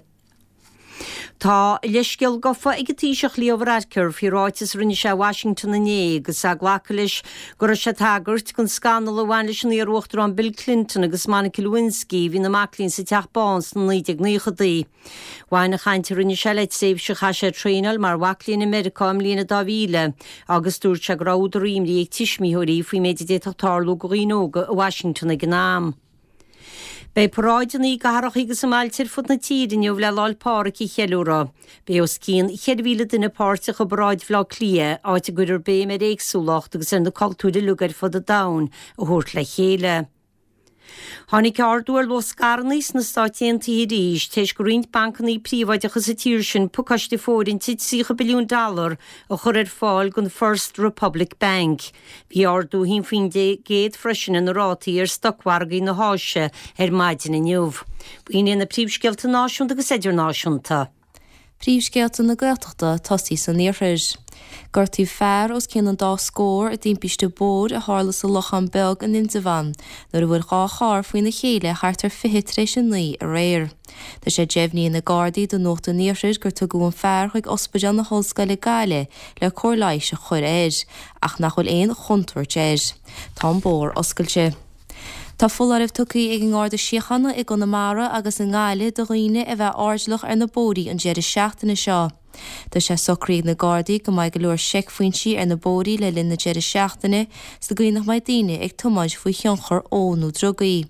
Tá a leithscéal gofa ag an Taoiseach Leo Varadkar faoi ráiteas a rinne sé i Washington inné agus é ag glacadh leis go raibh sé ag tagairt don scannal a bhain leis an iar-Uachtarán Bill Clinton agus Monica Lewinsky a bhí ina mac léinn sa Teach Bán sna 1990idí. Bhain an chaint a rinne sé le tréimhse a chaith sé ag traenáil mar mhac léinn i Meiriceá i mbliain a 2000 agus dúirt sé go raibh údar imní ag tuismitheoirí faoin méid a d'fhéadfadh tarlú do dhaoine óga i Washington ag an am. Beidh paráideanna i gcathracha agus i mbailte ar fud na tíre inniu le Lá 'le Pádraig a cheiliúradh. Beidh os cionn 4,000 duine páirteach i bparáid Bhaile Átha Cliath, áit a gcuirfear béim ar éagsúlacht agus ar na cultúir uilig ar fud an domhain a thabhairt le chéile. Tháinig ardú ar luach scaireanna sna Stáit Aontaithe arís tar éis do roinnt bancanna príobháideacha sa tír sin pacáiste fóirithinte 30 billiún dollar a chur ar fáil don First Republic Bank. Bhí ardú 1% freisin ar na rátaí ar stocmhargaí na hÁise ar maidin inniu. B'in iad na príomhscéalta náisiúnta agus idirnáisiúnta. Príomhscéalta na Gaeltachta tosaí san iarthar. Gortaíodh fear os cionn an dá scór i dtimpiste bóthair a tharla sa Lochán Beag in Indreabhán nuair a bhuail dhá charr faoina chéile thart ar 20 tar éis a 9 aréir. Tá sé deimhnithe ag na Gardaí do Nuacht an Iarthair gur tugadh an fear chuig Ospidéal na hOllscoile Gaillimh le cóir leighis a chur air, ach nach bhfuil aon chontúirt air. Tá an bóthar oscailte. Tá foláireamh tugtha ag an nGarda Síochána i gConamara agus i nGaillimh do dhaoine a bheith airdeallach ar na bóithrí an deireadh seachtaine seo. Tá sé socraithe ag na Gardaí go mbeidh go leor seicphointí ar na bóithrí le linn na deireadh seachtaine sa gcaoi nach mbeidh daoine ag tiomáint faoi thionchar óil nó drugaí.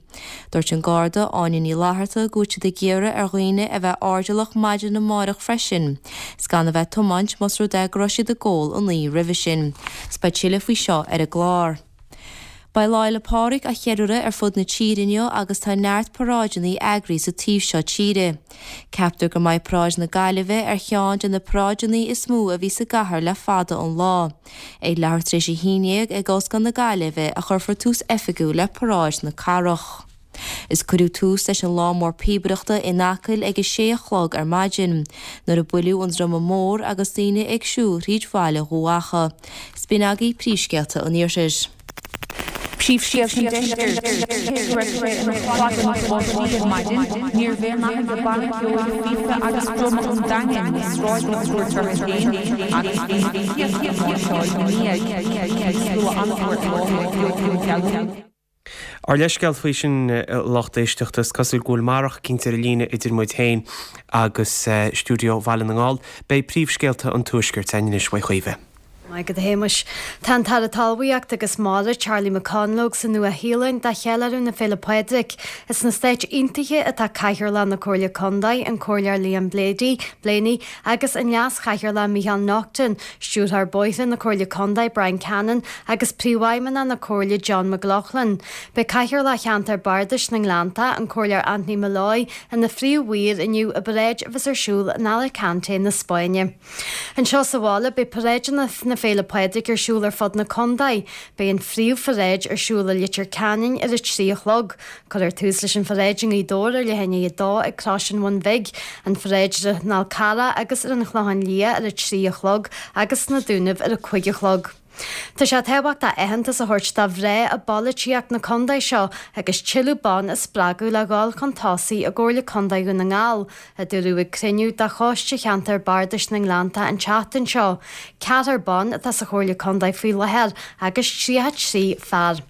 Dúirt an Garda Áine Ní Fhlatharta go bhfuil siad ag iarraidh ar dhaoine a bheith airdeallach maidin amárach freisin 's gan a bheith ag tiomáint más rud é go raibh siad ag ól an oíche roimhe sin. 'S beidh tuilleadh faoi seo ar an gclár. Beidh Lá Fhéile Pádraig á cheiliúradh ar fud na tíre inniu agus tá neart paráideanna eagraithe sa taobh seo tíre. Ceaptar go mbeidh Paráid na Gaillimhe ar cheann de na paráideanna is mó a bhí sa gcathair le fada an lá. Ag leathuair tar éis a haon dhéag ag Ollscoil na Gaillimhe a chuirfear tús oifigiúil le Paráid na Cathrach. Is cuireadh tús leis an lá mór píobaireachta in Acaill ag a sé a chlog ar maidin, nuair a buaileadh an druma mór agus daoine ag siúl thríd bhaile Dhubh Acha. 'S b'in agaibh príomhscéalta an Iarthair. Príomhscéalta an Deiscirt. Cé go raibh sé ina chlog na bpáistí ar maidin, níorbh aon nath ag banna ceoil phíopa agus druma an Daingin na sráideanna a thabhairt orthu féin agus bhí na céadta ag máirseáil ina ndiaidh. Bhí slua an-mhór i láthair ag Giolcán Ghealúin. Ár leithscéal faoi sin, a lucht éisteachta. Is cosúil go bhfuil marach eicínt ar an líne idir muid féin agus stiúideo Bhaile na nGall. Beidh príomhscéalta an Tuaiscirt againn anois uaidh Chaoimhe. Maith agat a Shéamais. Tá an tAire Talmhaíochta agus Mara, Charlie McConalogue, sa Nua-Shéalainn do cheiliúradh na Féile Pádraig. Is sna Stáit Aontaithe atá Cathaoirleach na Comhairle Contae, an Comhairleoir Liam Blaney, agus an Leas-Chathaoirleach Micheál Naughton, Stiúrthóir Bóithre na Comhairle Contae Brian Cannon agus Príomhfheidhmeannach na Comhairle John McLaughlin. Beidh Cathaoirleach Cheantar Bardais na nGleannta, an Comhairleoir Anthony Molloy, ina phríomh-mhaor inniu i bparáid a bheas ar siúl in Alicante na Spáinne. Anseo sa bhaile beidh paráideanna na Féile Pádraig ar siúl ar fud na contae. Beidh an phríomhpharáid ar siúl i Leitir Ceanainn ar a 3 a chlog. Cuirfear tús leis an pharáid i nGaoth Dobhair ar leath i ndiaidh a dó ag Crois an Bhun Bhig, an pharáid ar an Fhál Carrach agus ar an Chlochán Liath ar a 3 a chlog agus sna Dúnaibh ar a 5 a chlog. Tá sé tábhachtach aitheantas a thabhairt do mhná i bpolaitíocht na contae seo agus tuilleadh ban a spreagadh le dhul chun tosaigh i gComhairle Contae Dhún na nGall, a dúradh ag cruinniú de Choiste Cheantar Bardais na nGleannta an tseachtain seo. Ceathrar ban atá sa Chomhairle Contae faoi láthair agus 33 fear.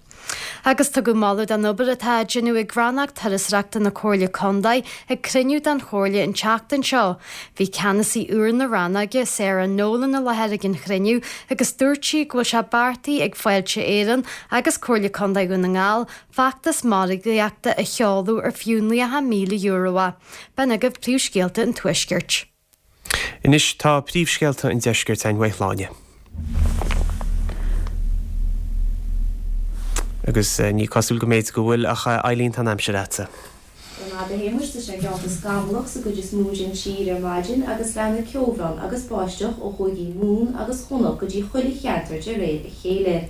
Agus tugadh moladh don obair atá á déanamh ag Rannóg Turasóireachta na Comhairle Contae ag cruinniú den Chomhairle an tseachtain seo. Bhí ceannasaí úr na rannóige, Sarah Nolan i láthair ag an chruinniú agus dúirt sí go bhfuil sé beartaithe ag Fáilte Éireann agus Comhairle Contae Dhún na nGall feachtas margaíochta a sheoladh ar fiú €90,000 é. B'in agaibh príomhscéalta an Tuaiscirt. Anois tá príomhscéalta an Deiscirt againn uaidh Shláine. Agus ní cosúil go mb'fhéidir go bhfuil ach Eileen tá an aimsir agatsa. Go raibh maith agat a Shéamuis, tá sé geallta scamallach sa gcuid is mó den tír ar maidin agus leanfaidh ceobhrán agus báisteach ó chúigí Mumhan agus Chonnacht go dtí chuile cheantar de réir a chéile.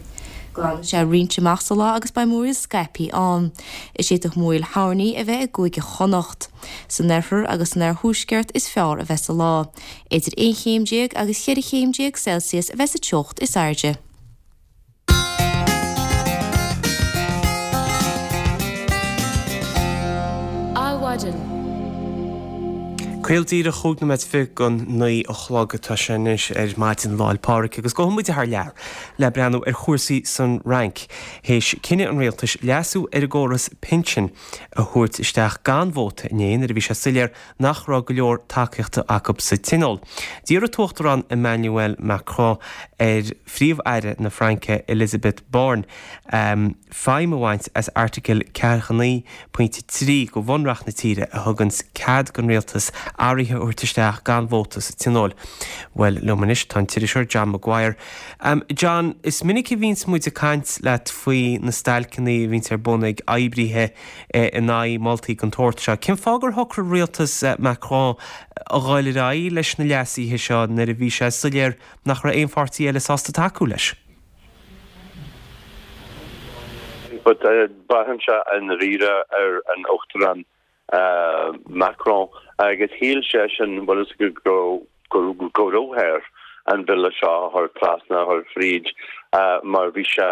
Glanfaidh sé roinnt amach sa lá agus beidh múraíl scaipthe ann. Is d'fhéadfadh múraíl thoirní a bheith i gCúige Chonnacht. San oirthear agus san oirthuaisceart is fearr a bheas an lá. Idir 11 chéim agus 14 chéim Celsius a bheas an teocht is airde. Adhmhaidin. Caol díreach chúig nóiméad fichead don naoi a chlog atá sé anois ar maidin Lá'il Pádraig agus gabhfaidh muid thar lear le breathnú ar chúrsaí san Fhrainc théis cinneadh an rialtais leasú ar an gcóras pinsin a thabhairt isteach gan vóta inné nuair a bhí sé soiléir nach raibh go leor tacaíochta acu sa Tionól. D'iarr an tUachtarán Emmanuel Macron ar Phríomh-Aire na Fraince Elisabeth Borne feidhm a bhaint as Airteagal 49, pointe 3 de Bhunreacht na tíre a thuganns cead don rialtas athruithe a thabhairt isteach gan vóta sa Tionól. Bhuel, liom anois tá an t-iriseoir John Maguire. John, is minic a bhíonns muid ag caint leat faoi na stailceanna a bhíonns ar bun ag oibrithe in aghaidh moltaí den tsórt seo. Cén fáth gur shocraigh rialtas Macron a dhul ar aghaidh leis na leasuithe seo nuair a bhí sé soiléir nach raibh aon pháirtí eile sásta tacú leis? But braitheann sé i ndáiríre ar an Uachtarán Macron agus shíl seisean, bhfuil fhios agat, go raibh air an bille seo a chur trasna, a chur fríd mar bhí sé,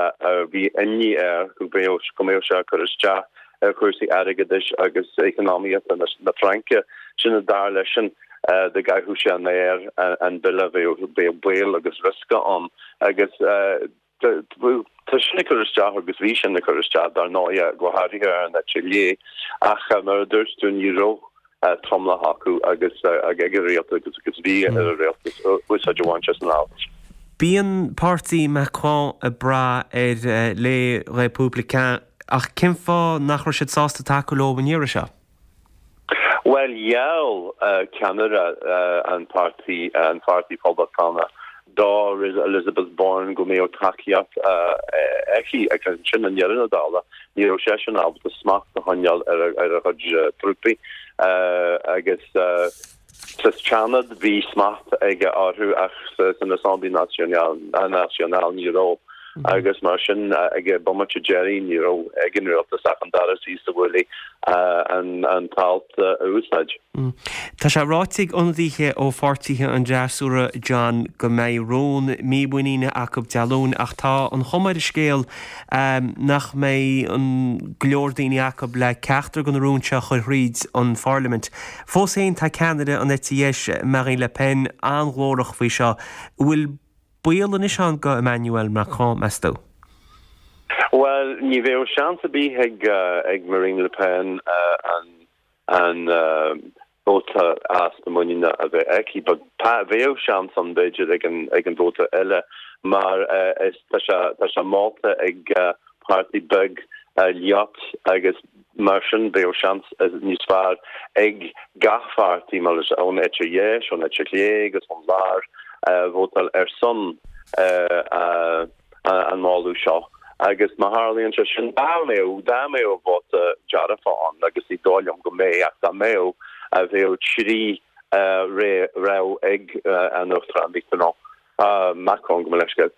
bhí imní air go mbeadh, go mbeadh sé ag cur isteach ar chúrsaí airgeadais agus eacnamaíochta na Fraince. Sin a dar leisean dá gcaitheadh sé an aer an bille bheadh, bheadh baol agus riosca ann agus. Tá sin ag cur isteach agus bhí sin ag cur isteach, dar ndóigh, go háirithe ar an eite chlé, ach mar a dúirt tú, ní raibh tromlach acu agus ag an rialtas agus bhí ar an rialtas úsáid a bhaint as an alt. Bíonn páirtí Macron ag brath ar Les Républicains ach cén fáth nach raibh siad sásta tacú leo an iarraidh seo? Bhuel, gheall ceannaire an pháirtí, an Pháirtí Poblachtánach, do Elizabeth Borne go mbeadh tacaíocht aici ach ansin i ndeireadh na dála ní raibh seisean ábalta smacht a choinneáil ar a chuid trúpaí agus Sa Seanad bhí smacht aige orthu ach san Assemblée Nationale ní raibh agus mar sin ag an bomaite deiridh ní raibh ag an rialtas ach an dara suí sa bhuaile an t-alt a úsáid. Tá sé ráite ag ionadaithe ó pháirtithe an fhreasúra, John, go mbeidh rún mímhuiníne acu Dé Luain ach tá an chuma ar an scéal nach mbeidh go leor daoine acu le ceachtar de na rúin seo a chur thríd an pharlaimint. Fós féin, tá ceannaire an eite dheis, Marine Le Pen, an-ghlórach faoi seo. An bhfuil baol anois ann do Emmanuel Macron, meas tú? Bhuel, ní bheadh seans ar bith ag Marine Le Pen an vóta easpa muiníne a bheith aici. But bheadh seans ann, b'fhéidir, ag an vóta eile mar tá sé molta ag páirtí beag LIOT agus mar sin bheadh seans níos fearr ag gach pháirtí, mar is ón eite dheis, ón eite chlé agus ón lár vótáil ar son an mholadh seo. Agus má tharlaíonn sé sin, dá mbeadh, dá mbeadh vóta dearfach ann, agus ní dóigh liom go mbeidh, ach dá mbeadh, bheadh 3 rogha ag an Uachtarán Mitterrand. Macron, gabh mo leithscéal,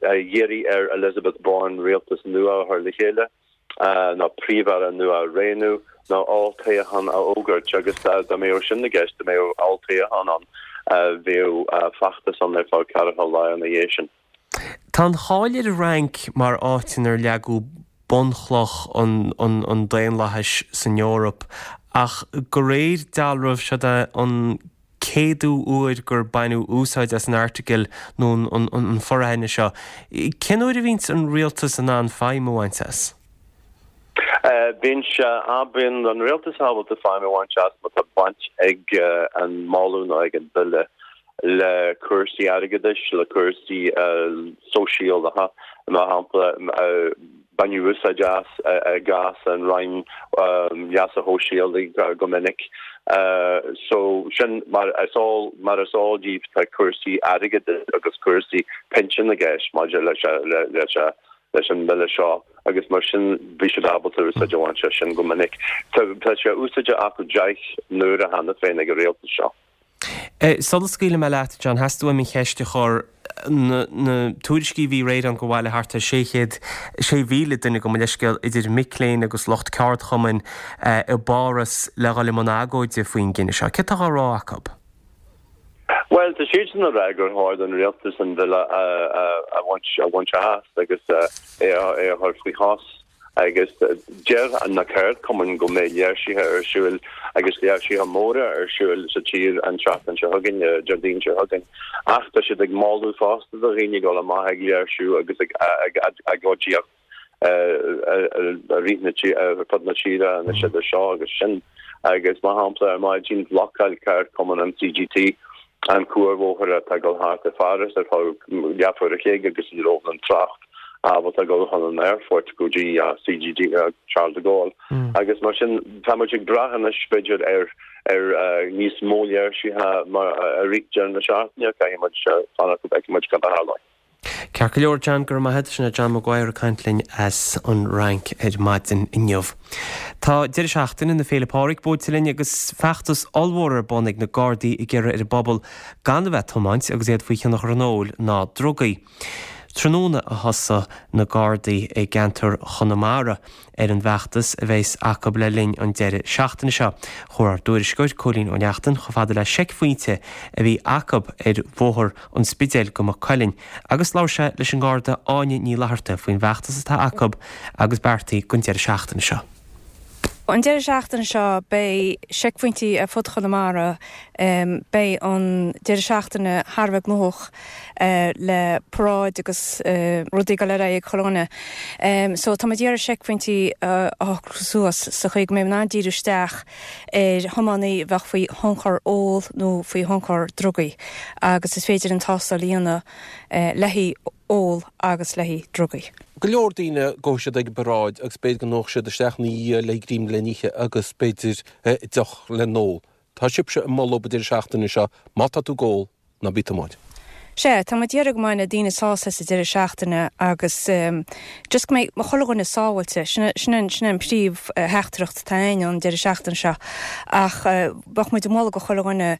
iarraidh ar Elizabeth Borne rialtas nua a chur le chéile, nó príomh-aire nua a roghnú, nó olltoghchán a fhógairt, agus dá mbeadh sin i gceist, dá mbeadh olltoghchán ann, bheadh feachtas ann ar feadh ceathracha lá ina dhiaidh sin. Tá an cháil ar an Fhrainc mar áit inar leagadh bunchloch an daonlathais san Eoraip, ach de réir dealraimh, seod é an céadú uair gur baineadh úsáid as an airteagal nó an foraithne seo. Cén uair a bhíonns an rialtas in ann feidhm a bhaint as? Bíonn sé, bíonn an rialtas ábalta feidhm a bhaint as má tá baint ag an moladh nó ag an bhille le cúrsaí airgeadais, le cúrsaí sóisialacha, mar shampla, baineadh úsáid as i gcás an Roinn Leasa Shóisialaigh go minic. So sin mar is eol, mar is eol daoibh tá cúrsaí airgeadais agus cúrsaí pinsean i gceist maidir leis leis leis an mbille seo agus mar sin bhí siad ábalta úsáid a bhaint as sin go minic. Tá sé úsáidte acu 10 n-uaire cheana féin ag an rialtas seo. Sula scaoilfidh mé leat, John, theastaigh uaim an cheist a chur. Na tuairiscí a bhí aréir ann gur bhailigh thart ar 600, 6,000 duine, gabh mo leithscéal, idir mic léinn agus lucht ceardchumainn i bPáras le dhul i mbun agóide faoin gcinneadh seo. Céard atá á rá acu? Bhuel, tá siadsan ag rá gur chóir don rialtas an bille a bhaint as agus é a chur faoi shos. Agus deir na ceardchumainn go mbeidh léirsithe ar siúl agus léirsithe móra ar siúl sa tír an tseachtain seo chugainn, Déardaoin seo chugainn. Ach tá siad ag moladh fosta do dhaoine dul amach ag léirsiú agus ag agóidíocht i rith na ar fud na tíre anois idir seo agus sin. Agus mar shampla ar maidin bhlocáil ceardchumann an CGT an cuarbhóthar atá ag dul thart i Pháras ar feadh leathuair a chloig agus ní raibh an trácht ábalta dul chun an aerfoirt go dtí CGD, Charles de Gaulle. Agus mar sin tá muid ag brath anois b'fhéidir ar ar níos mó léirsithe mar i rith deireadh na seachtaine, caithfidh muid fanacht go bhfeicfidh muid cad a tharlóidh. Ceart go leor, John, go raibh maith agat. Sin é John Maguire ag caint linn as an Fhrainc ar maidin inniu. Tá deireadh seachtaine na Féile Pádraig buailte linn agus feachtas ollmhór ar bun ag na Gardaí ag iarraidh ar an bpobal gan a bheith ag tiomáint agus iad faoi thionchar an óil ná drugaí. Tráthnóna a thosaigh na Gardaí i gceantar Chonamara ar an bhfeachtas a bheas acu le linn an deireadh seachtaine seo. Chuaigh ár dtuairisceoir, Cóilín Ó Neachtain, chomh fada le seicphointe a bhí acu ar Bhóthar an Spidéil go Maigh Cuilinn agus labhair sé leis an nGarda Áine Ní Fhlatharta faoin bhfeachtas atá acu agus beartaithe don deireadh seachtaine seo. An deireadh seachtaine seo beidh seicphointí ar fud Chonamara. Beidh an deireadh seachtaine thar a bheith gnóthach le paráid agus rudaí ag dul ar aghaidh ag chuile dhuine. So tá muid ag iarraidh seicphointí a shocrú suas sa chaoi go mbeidh muid in ann díriú isteach ar thiománaí a bheadh faoi thionchar ól nó faoi thionchar drugaí agus is féidir an tástáil a dhéanamh le haghaidh ól agus le haghaidh drugaí. Go leor daoine gabhfaidh siad ag an bparáid agus b'fhéidir go ndófaidh siad isteach ina dhiaidh le greim le n-ithe agus b'fhéidir deoch le n-ól. Tá sibhse ag moladh an deireadh seachtaine seo má tá tú ag ól, ná bí ag tiomáint. Sea, tá muid ag iarraidh go mbeidh na daoine sásta sa deireadh seachtaine agus just go mbeidh chuile dhuine sábháilte. Sin sin an sin an príomh theachtaireacht atá againn an deireadh seachtaine seo. Ach bheadh muid ag moladh go chuile dhuine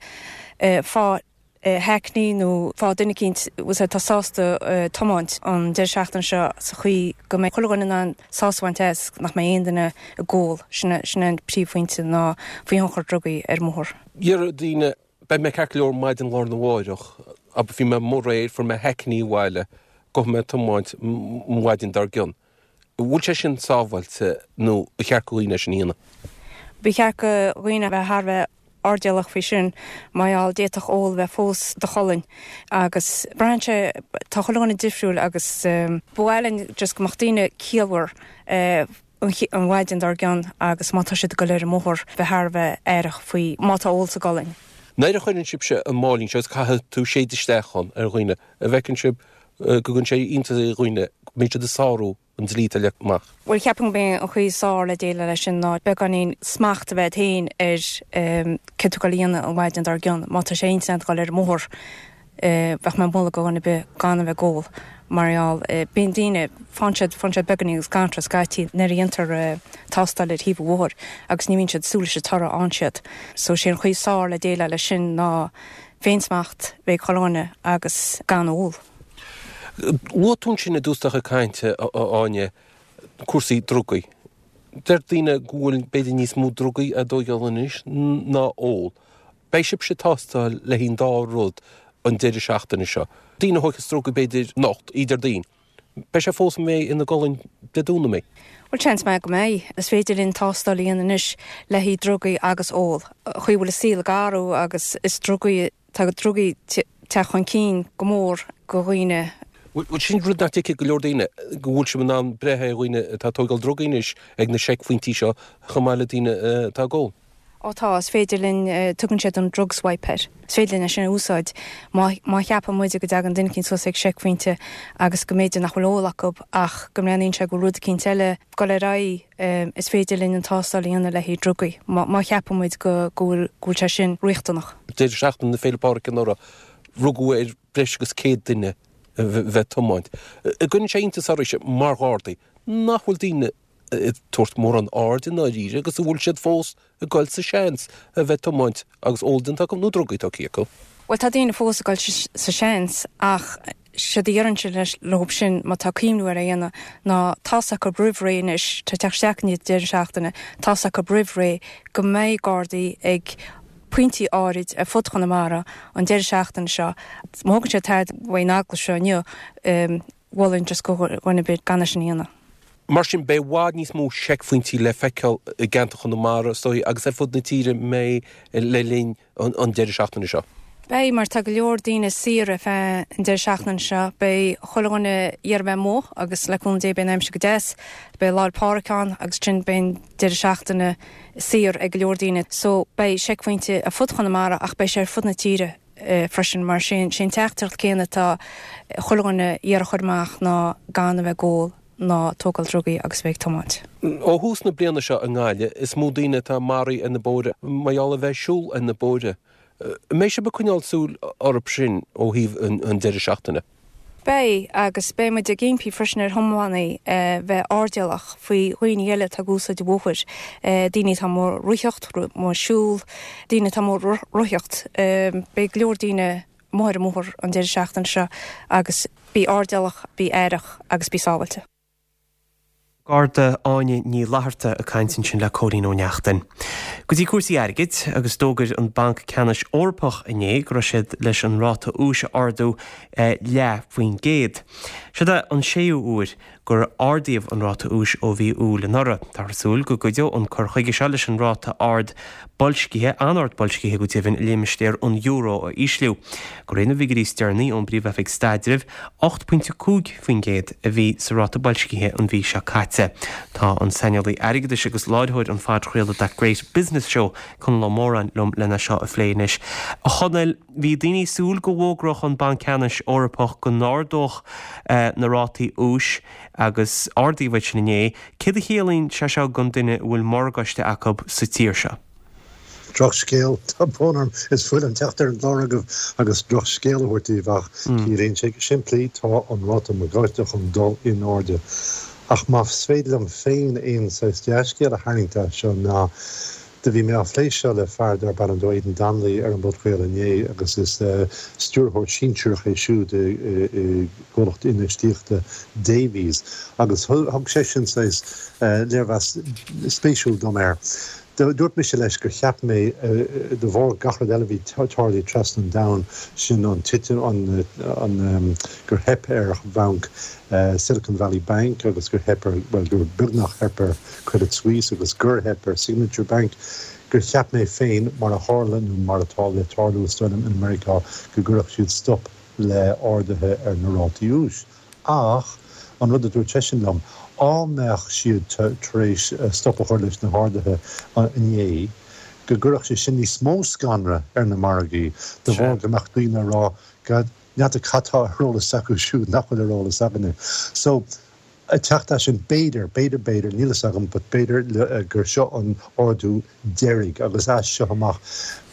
faigh hackney nó faigh duine eicínt atá sásta tiomáint an deireadh seachtaine seo sa chaoi go mbeidh chuile dhuine in ann sásamh a bhaint as, nach mbeidh aon duine ag ól. Sin sin an príomhphointe ná faoi thionchar drugaí ar an mbóthar. Déarfaidh daoine Beidh mé ceart go leor maidin lá arna mháireach. Abair, bhí mé amuigh aréir, fuair mé hackney abhaile, gabhfaidh mé ag tiomáint an mhaidin dár gcionn. An bhfuil sé sin sábháilte nó ar cheart go dhaoine é sin a dhéanamh? Ba cheart go dhaoine a bheith thar a bheith airdeallach faoi sin mar gheall d'fhéadfadh ól a bheith fós i do cholainn agus braitheann sé, tá chuile dhuine difriúil agus ba mhaith linn just go mbeadh daoine ciallmhar an mhaidin dár gcionn agus má tá siad ag dul ar an mbóthar bheith thar a bheith aireach faoi má tá ól sa gcolainn. Nuair a chuireann sibhse an máilín seo agus caithfidh tú séideadh isteach ann ar dhaoine, an bhfeiceann sibh go gcuireann sé iontas ar dhaoine go mbíonn siad ag sárú an dlí atá leagtha amach? Bhuel, cheapfainn gurb é an chaoi is fearr le déileáil leis sin ná beagáinín smacht a bheith agat féin ar céard tá tú ag dul a dhéanamh an mhaidin dár gcionn. Má tá sé ar intinn agat dul ar an mbóthar, bheadh mé ag moladh go dhuine ar bith gan a bheith ag ól mar gheall bíonn daoine, faigheann siad, faigheann siad beagáinín scanradh scaití nuair a dhéantar tástáil ar thaobh an bhóthair agus ní bhíonn siad ag súil leis an toradh a fhaigheann siad. So sé an chaoi is fearr le déileáil leis sin ná féinsmacht a bheith ag chuile dhuine agus gan ól. Luaigh tú ansin i dtús do chuid cainte, a Áine, cúrsaí drugaí. Deir daoine go bhfuil b'fhéidir níos mó drugaí á dtóigeáil anois ná ól. Beidh sibhse ag tástáil le haghaidh an dá rud. an deireadh seachtaine seo. Daoine a thóigfeas drugaí b'fhéidir anocht, oíche Déardaoin. Beidh sé fós ina gcolainn Dé Domhnaigh, an mbeidh? Bhuel, seans maith go mbeidh. Is féidir linn tástáil a dhéanamh anois le haghaidh drugaí agus ól. An chaoi a bhfuil an saol ag athrú agus is drugaí, tá drugaí teacht chun cinn go mór go dhaoine. Bhuel, sin rud nach dtuigfidh go leor daoine, go bhfuil sibh in ann breith ar dhaoine atá ag tógáil drugaí anois ag na seicphointí seo chomh maith le daoine atá ag ól. Ó tá, is féidir linn, tugann siad an drug swipe air. Is féidir linn é sin a úsáid má, má cheapann muide go dtagann duine eicínt suas ag seicphointe agus go mb'fhéidir nach bhfuil ól acu ach go mbreathnaíonn sé go bhfuil rud eicínt eile ag dul ar aghaidh, is féidir linn an tástáil a dhéanamh le haghaidh drugaí má, má cheapann muid go, go bhfuil, go bhfuil sé sin riachtanach. Deireadh seachtaine na Féile Pádraig anuraidh, rugadh ar breis agus 100 duine a bheith ag tiomáint. An gcuireann sé iontas oraibhse mar Ghardaí nach bhfuil daoine ag tabhairt mórán airde i ndáiríre agus an bhfuil siad fós ag goil sa seans a bheith ag tiomáint agus ól déanta acu nó drugaí tógtha acu. Bhuel tá daoine fós ag goil sa seans ach séard a déarfainnse leo sin má tá cuimhniú ar é a dhéanamh ná tá's acu roimh ré anois, tá teacht isteach i ndiaidh deireadh seachtaine, tá's acu roimh ré go mbeidh Gardaí ag pointí áirid ar fud Chonamara an deireadh seachtaine seo. Má thugann siad aird uaidh an agallamh seo inniu, mholfainn just do dhuine ar bith gan é sin a dhéanamh. Mar sin, beidh i bhfad níos mó seicphointí le feiceáil i gceantar Chonamara, is dóigh, agus ar fud na tíre mbeidh le linn an deireadh seachtaine seo. Beidh, mar tá go leor daoine saor ar feadh an deireadh seachtaine seo. Beidh chuile dhuine ag iarraidh bheith amuigh agus le cúnamh Dé beidh an aimsir go deas. Beidh Lá 'le Pádraig ann agus ansin beidh an deireadh seachtaine saor ag go leor daoine. So beidh seicphointe ar fud Chonamara ach beidh sé ar fud na tíre. freisin mar sé an teachtaireacht céanna atá chuile dhuine ag iarraidh a chur amach ná gan a bheith ag ól ná tógáil drugaí agus bheith ag tiomáint. Ó thús na bliana seo i nGaillimh, is mó daoine atá maraithe ar na bóithre mar gheall a bheith ag siúl ar na bóithre. An mbeidh sibh ag coinneáil súil orthu sin ó thaobh an deireadh seachtaine? Beidh, agus beidh muid ag impí freisin ar thiománaí bheith airdeallach faoi dhaoine eile atá ag úsáid an bhóthair, daoine atá amuigh ag reathaíocht, amuigh ag siúl, daoine atá amuigh ag rothaíocht. Beidh go leor daoine amuigh ar an mbóthar an deireadh seachtaine seo agus bí airdeallach, bí aireach agus bí sábháilte. Garda Áine Ní Fhlatharta ag caint ansin le Cóilín Ó Neachtain. Go dtí cúrsaí airgid, agus d'fhógair an Banc Ceannais Eorpach inné go raibh siad leis an ráta úis a ardú leath faoin gcéad. Siod é an séú huair gur ardaíodh an ráta úis ó mhí Iúil anuraidh. Táthar ag súil go gcuideoidh an cur chuige seo leis an ráta ard boilscithe, an-ard boilscithe go deimhin, i limistéar an euro a ísliú. De réir na bhfigiúirí is deireanaí ón bPríomh-Oifig Staidrimh, 8.5% a bhí sa ráta boilscithe an mhí seo caite. Tá an saineolaí airgeadais agus láithreoir an phodchraolta That Great Business Show, Conall Ó Móráin, liom lena seo a phlé anois. A Chonaill, bhí daoine ag súil go bhfógródh an Banc Ceannais Eorpach go n-ardódh na rátaí úis agus ardaíodh iad sin inné. Céard a chiallaíonn sé seo don duine a bhfuil morgáiste acu sa tír seo? Drochscéal, tá brón orm, is fuath liom teacht ar an gclár agaibh agus drochscéal a thabhairt daoibh ach ciallaíonn sé go simplí, tá an ráta morgáiste chun dul in airde. Ach más féidir liom féin aon saghas dea-scéal a tharraingt as seo ná do bhí mé á phlé seo le fear darb ainm dó Aidan Donnelly ar an bpodchraoladh inné agus is stiúrthóir sinsearach é siúd i gcomhlacht infheistíochta Davys agus thug seisean saghas léirmheas spéisiúil dom air. Dúirt mise leis gur cheap mé, de bharr gach rud eile a bhí tarlaithe trasna an domhain, sin an titim, an, gur theip ar bhanc Silicon Valley Bank agus gur theip ar, bhuel, gur beagnach theip ar Credit Suisse agus gur theip ar Signature Bank, gur cheap mé féin, mar a tharla, nó mar atá le tarlú is dóigh liom in Meiriceá, go gcuirfeadh siad stop le arduithe ar na rátaí úis. Ach an rud a dúirt seisean liom, á mbeadh siad tar éis stop a chur leis na harduithe inné, go gcuirfeadh sé sin níos mó scanradh ar na margaí, de bharr go mbeadh daoine ag rá, God, n'fheadar cad tá ar eolas acu siúd nach bhfuil ar eolas againne. So, ag teacht as sin, b'fhéidir, b'fhéidir, b'fhéidir, níl fhios agam, but b'fhéidir gur seo an ardú deiridh agus as seo amach,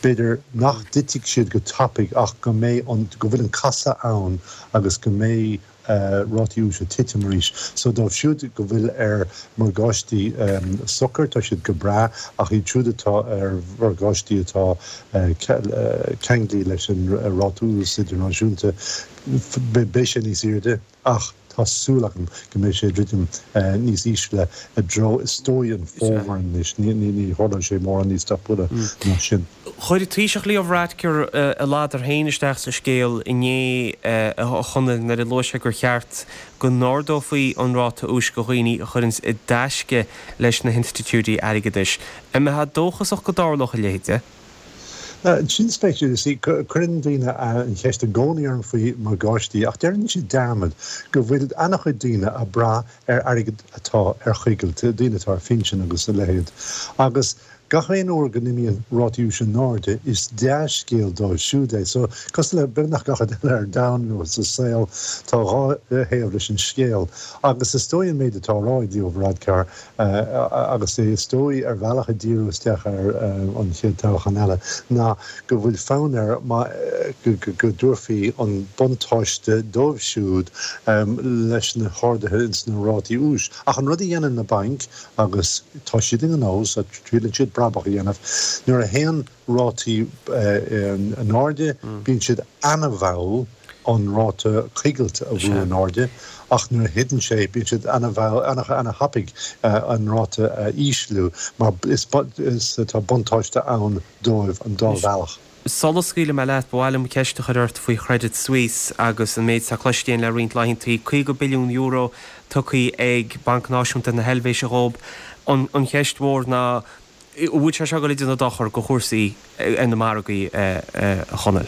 b'fhéidir nach dtitfidh siad go tapaidh ach go mbeidh an, go bhfuil an casadh ann agus go mbeidh rátaí úis ag titim arís. So dóibh siúd go bhfuil ar mhorgáistí socair, tá siad go breá ach iad siúd atá ar mhorgáistí atá ceanglaithe leis an ráta úis idirnáisiúnta, beidh sé níos airde. Ach tá súil agam go mbeidh sé ag druidim níos ísle i dtreo, is dóigh, an fómhar anois. Ní tharlóidh sé mórán níos tapúla ná sin. Chuir an Taoiseach Leo Varadkar a ladar féin isteach sa scéal inné, a Chonaill, nuair a luaigh sé gur cheart go n-ardófaí an ráta úis do dhaoine a chuireanns i dtaisce leis na hinstitiúidí airgeadais. An mbeifeá dóchasach go dtarlódh a leithéid? Sin spéisiúil. You see, cuireann daoine an cheist i gcónaí orm faoi morgáistí ach déanann siad dearmad go bhfuil an-chuid daoine ag brath ar airgead atá ar choigilt, daoine atá ar phinsean agus a leithéid. Agus gach aon uair go n-imíonn rátaí úis in airde, is dea-scéal dóibh siúd é. So, cosúil le beagnach gach rud eile ar domhan nó sa saol, tá dhá thaobh leis an scéal. Agus is dóigh an méid atá á rá ag Leo Varadkar, agus é is dóigh ar bhealach ag díriú isteach ar an chéad toghchán eile, ná go bhfuil fonn air go dtabharfaí an buntáiste dóibh siúd leis na harduithe ins na rátaí úis. Ach an rud a dhéanann na bainc, agus tá siad i ngnó so triaileann siad brabach a dhéanamh, nuair a théann rátaí in airde, bíonn siad ana-mhall an ráta coigilte a bhrú in airde, ach nuair a thiteann sé, bíonn siad ana-thapaidh an ráta a ísliú, mar is tá buntáiste ann dóibh an dá bhealach. Sula scaoilfidh mé leat, ba mhaith liom ceist a chur ort faoi Chredit Suisse agus an méid atá cloiste againn le roinnt laethantaí, €50 billiún tugtha ag Banc Náisiúnta na hEilvéise dhóibh. An cheist mhór ná, An bhfuil sé seo ag dul ag déanamh dochar do chúrsaí ar na margaí, a Chonaill?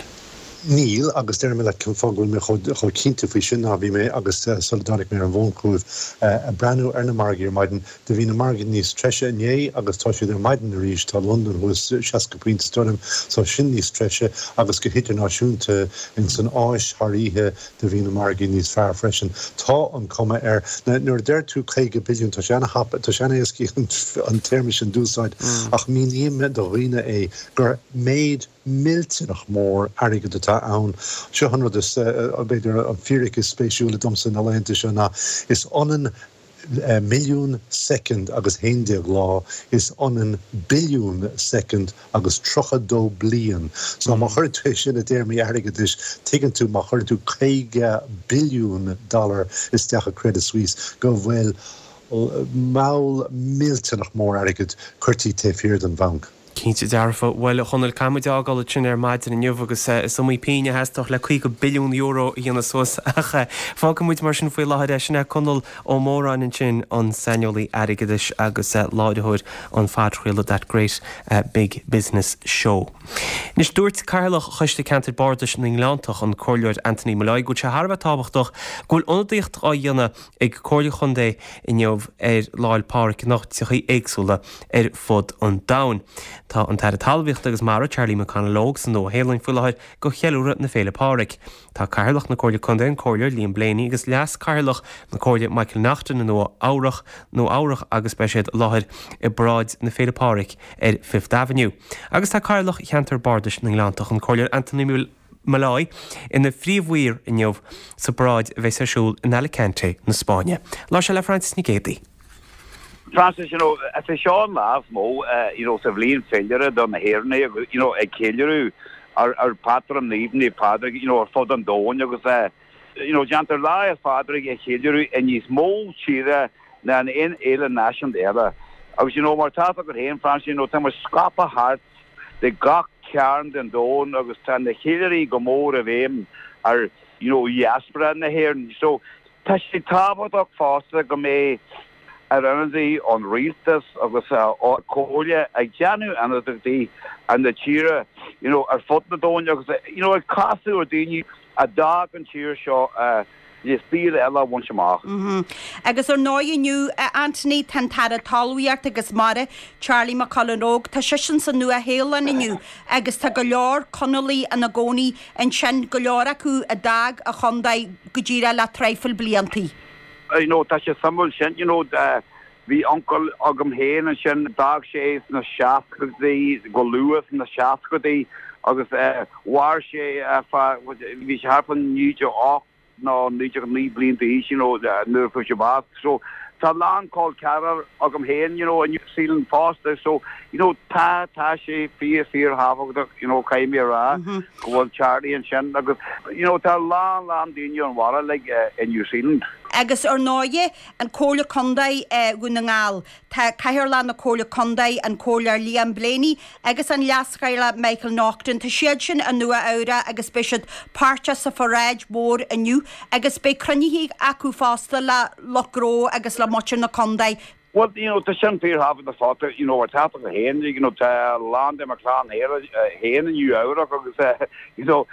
Níl, agus déarfaidh mé leat cén fáth go bhfuil mé chomh cinnte faoi sin ná bhí mé, agus sula dtáinig mé ar an bhfón chugaibh, ag breathnú ar na margaí ar maidin. Do bhí na margaí níos treise inné agus tá siad ar maidin arís. Tá Londain thuas 60 pointe is dóigh liom, so sin níos treise agus go hidirnáisiúnta ins an Áis thar oíche, Do bhí na margaí níos fearr freisin. Tá an cuma air, nuair a deir tú 50 billiún, tá sé ana-thapa, tá sé ana-éascaí an téarma sin d'úsáid, ach míním do dhaoine é gur méid millteanach mór airgid atá ann. Seo an rud is, b'fhéidir, an fíric is spéisiúla domsa na laethanta seo ná is ionann milliún soicind agus 11 lá, is ionann billiún soicind agus 32 bliain. So má chuireann tú é sin i dtéarmaí airgeadais, tuigeann tú má chuireann tú 50 billiún dollar isteach i Credit Suisse go bhfuil moll millteanach mór airgid curtha taobh thiar den bhanc. Cinnte dearfa. Bhuel, a Chonaill, caithfidh muid é a fhágáil ansin ar maidin inniu agus is iomaí pingin a theastódh le 50 billiún euro a dhéanamh suas ach fágfaidh muid mar sin faoi láthair é. Sin é Conall Ó Móráin ansin, an saineolaí airgeadais agus láithreoir an phodchraoladh That Great Big Business Show. Anois, dúirt Cathaoirleach Choiste Ceantair Bardais na nGleanntach, an Comhairleoir Anthony Molloy, go bhfuil sé thar a bheith tábhachtach go bhfuil ionadaíocht á dhéanamh ag Comhairle Chontae inniu ar Lá 'le Pádraig in áiteachaí éagsúla ar fud an domhain. Tá an tAire Talmhaíochta agus Mara, Charlie McConalogue, sa Nua-Shéalainn faoi láthair do cheiliúradh na Féile Pádraig. Tá Cathaoirleach na Comhairle Contae, an Comhairleoir Liam Blaney agus Leas-Chathaoirleach na Comhairle Michael Naughton i Nua Eabhrach, Nua Eabhrach agus beidh siad i láthair i bParáid na Féile Pádraig ar Fifth Avenue. Agus tá Cathaoirleach Cheantar Bardais na nGleanntach, an Comhairleoir Anthony Molloy, ina phríomh-aoi inniu sa bparáid a bheas ar siúl in Alicante na Spáinne. Labhair sé le Frances Nic Géadaigh. Frances, you know, is é seo an lá is mó, you know, sa bhliain féilire do na hÉireannaigh agus, you know, ag ceiliúradh ár, ár bpatrún naomh, Naomh Pádraig, you know, ar fud an domhain agus eh, you know, déantar Lá 'le Pádraig a cheiliúradh i níos mó tíre ná in aon fhéile náisiúnta eile. Agus, you know, mar tá a fhios agat féin, Frances, you know, tá muid scaipthe thart de gach cearn den domhan agus tá na ceiliúraí go mór i bhfeidhm ar, you know, diaspora na hÉireann. So, tá sé tábhachtach fosta go mbeidh ár n-ionadaí ón rialtas agus ón Chomhairle ag déanamh ionadaíochtaí ar na tíre, you know, ar fud na domhain agus, you know, ag casadh ar daoine a d'fhág an tír seo le saol eile a bhaint amach. Agus ar ndóigh inniu, a Anthony, tá an tAire Talmhaíochta agus Mara, Charlie McConalogue, tá seisean sa Nua-Shéalainn inniu agus tá go leor Conallaigh ina gcónaí ansin, go leor acu a d'fhág an chontae go díreach le traidhfil bliantaí. You know, tá sé suimiúil sin, you know, bhí uncail agam féin ansin, d'fhág sé sna seascadaí, go luath sna seascadaí agus mhair sé fá, bhí sé thart fá 98 nó 99 bliain d'aois, you know, nuair a fuair sé bás. So, tá a lán col ceathrar agam féin, you know, i New Zealand fosta, so, you know, tá, tá sé fíor, fíor thábhachtach, you know, caithfidh mé a rá go bhfuil Charlie ansin agus, you know, tá a lán, lán daoine ón bhaile, like, i New Zealand. Agus ar ndóighe, an Comhairle Contae Dhún na nGall, tá Cathaoirleach na Comhairle Contae, an Comhairleoir Liam Blaney agus an Leas-Chathaoirleach Michael Naughton, tá siad sin i Nua Eabhrac agus beidh siad páirteach sa pharáid mhór inniu agus beidh cruinnithe acu fosta le lucht gnó agus le muintir na contae. Bhuel, you know, tá sin fíorthábhachtach fosta, you know, ar tábhachtach féin, you know, tá a lán de mo chlann féin i Nua Eabhrac agus, eh, you know,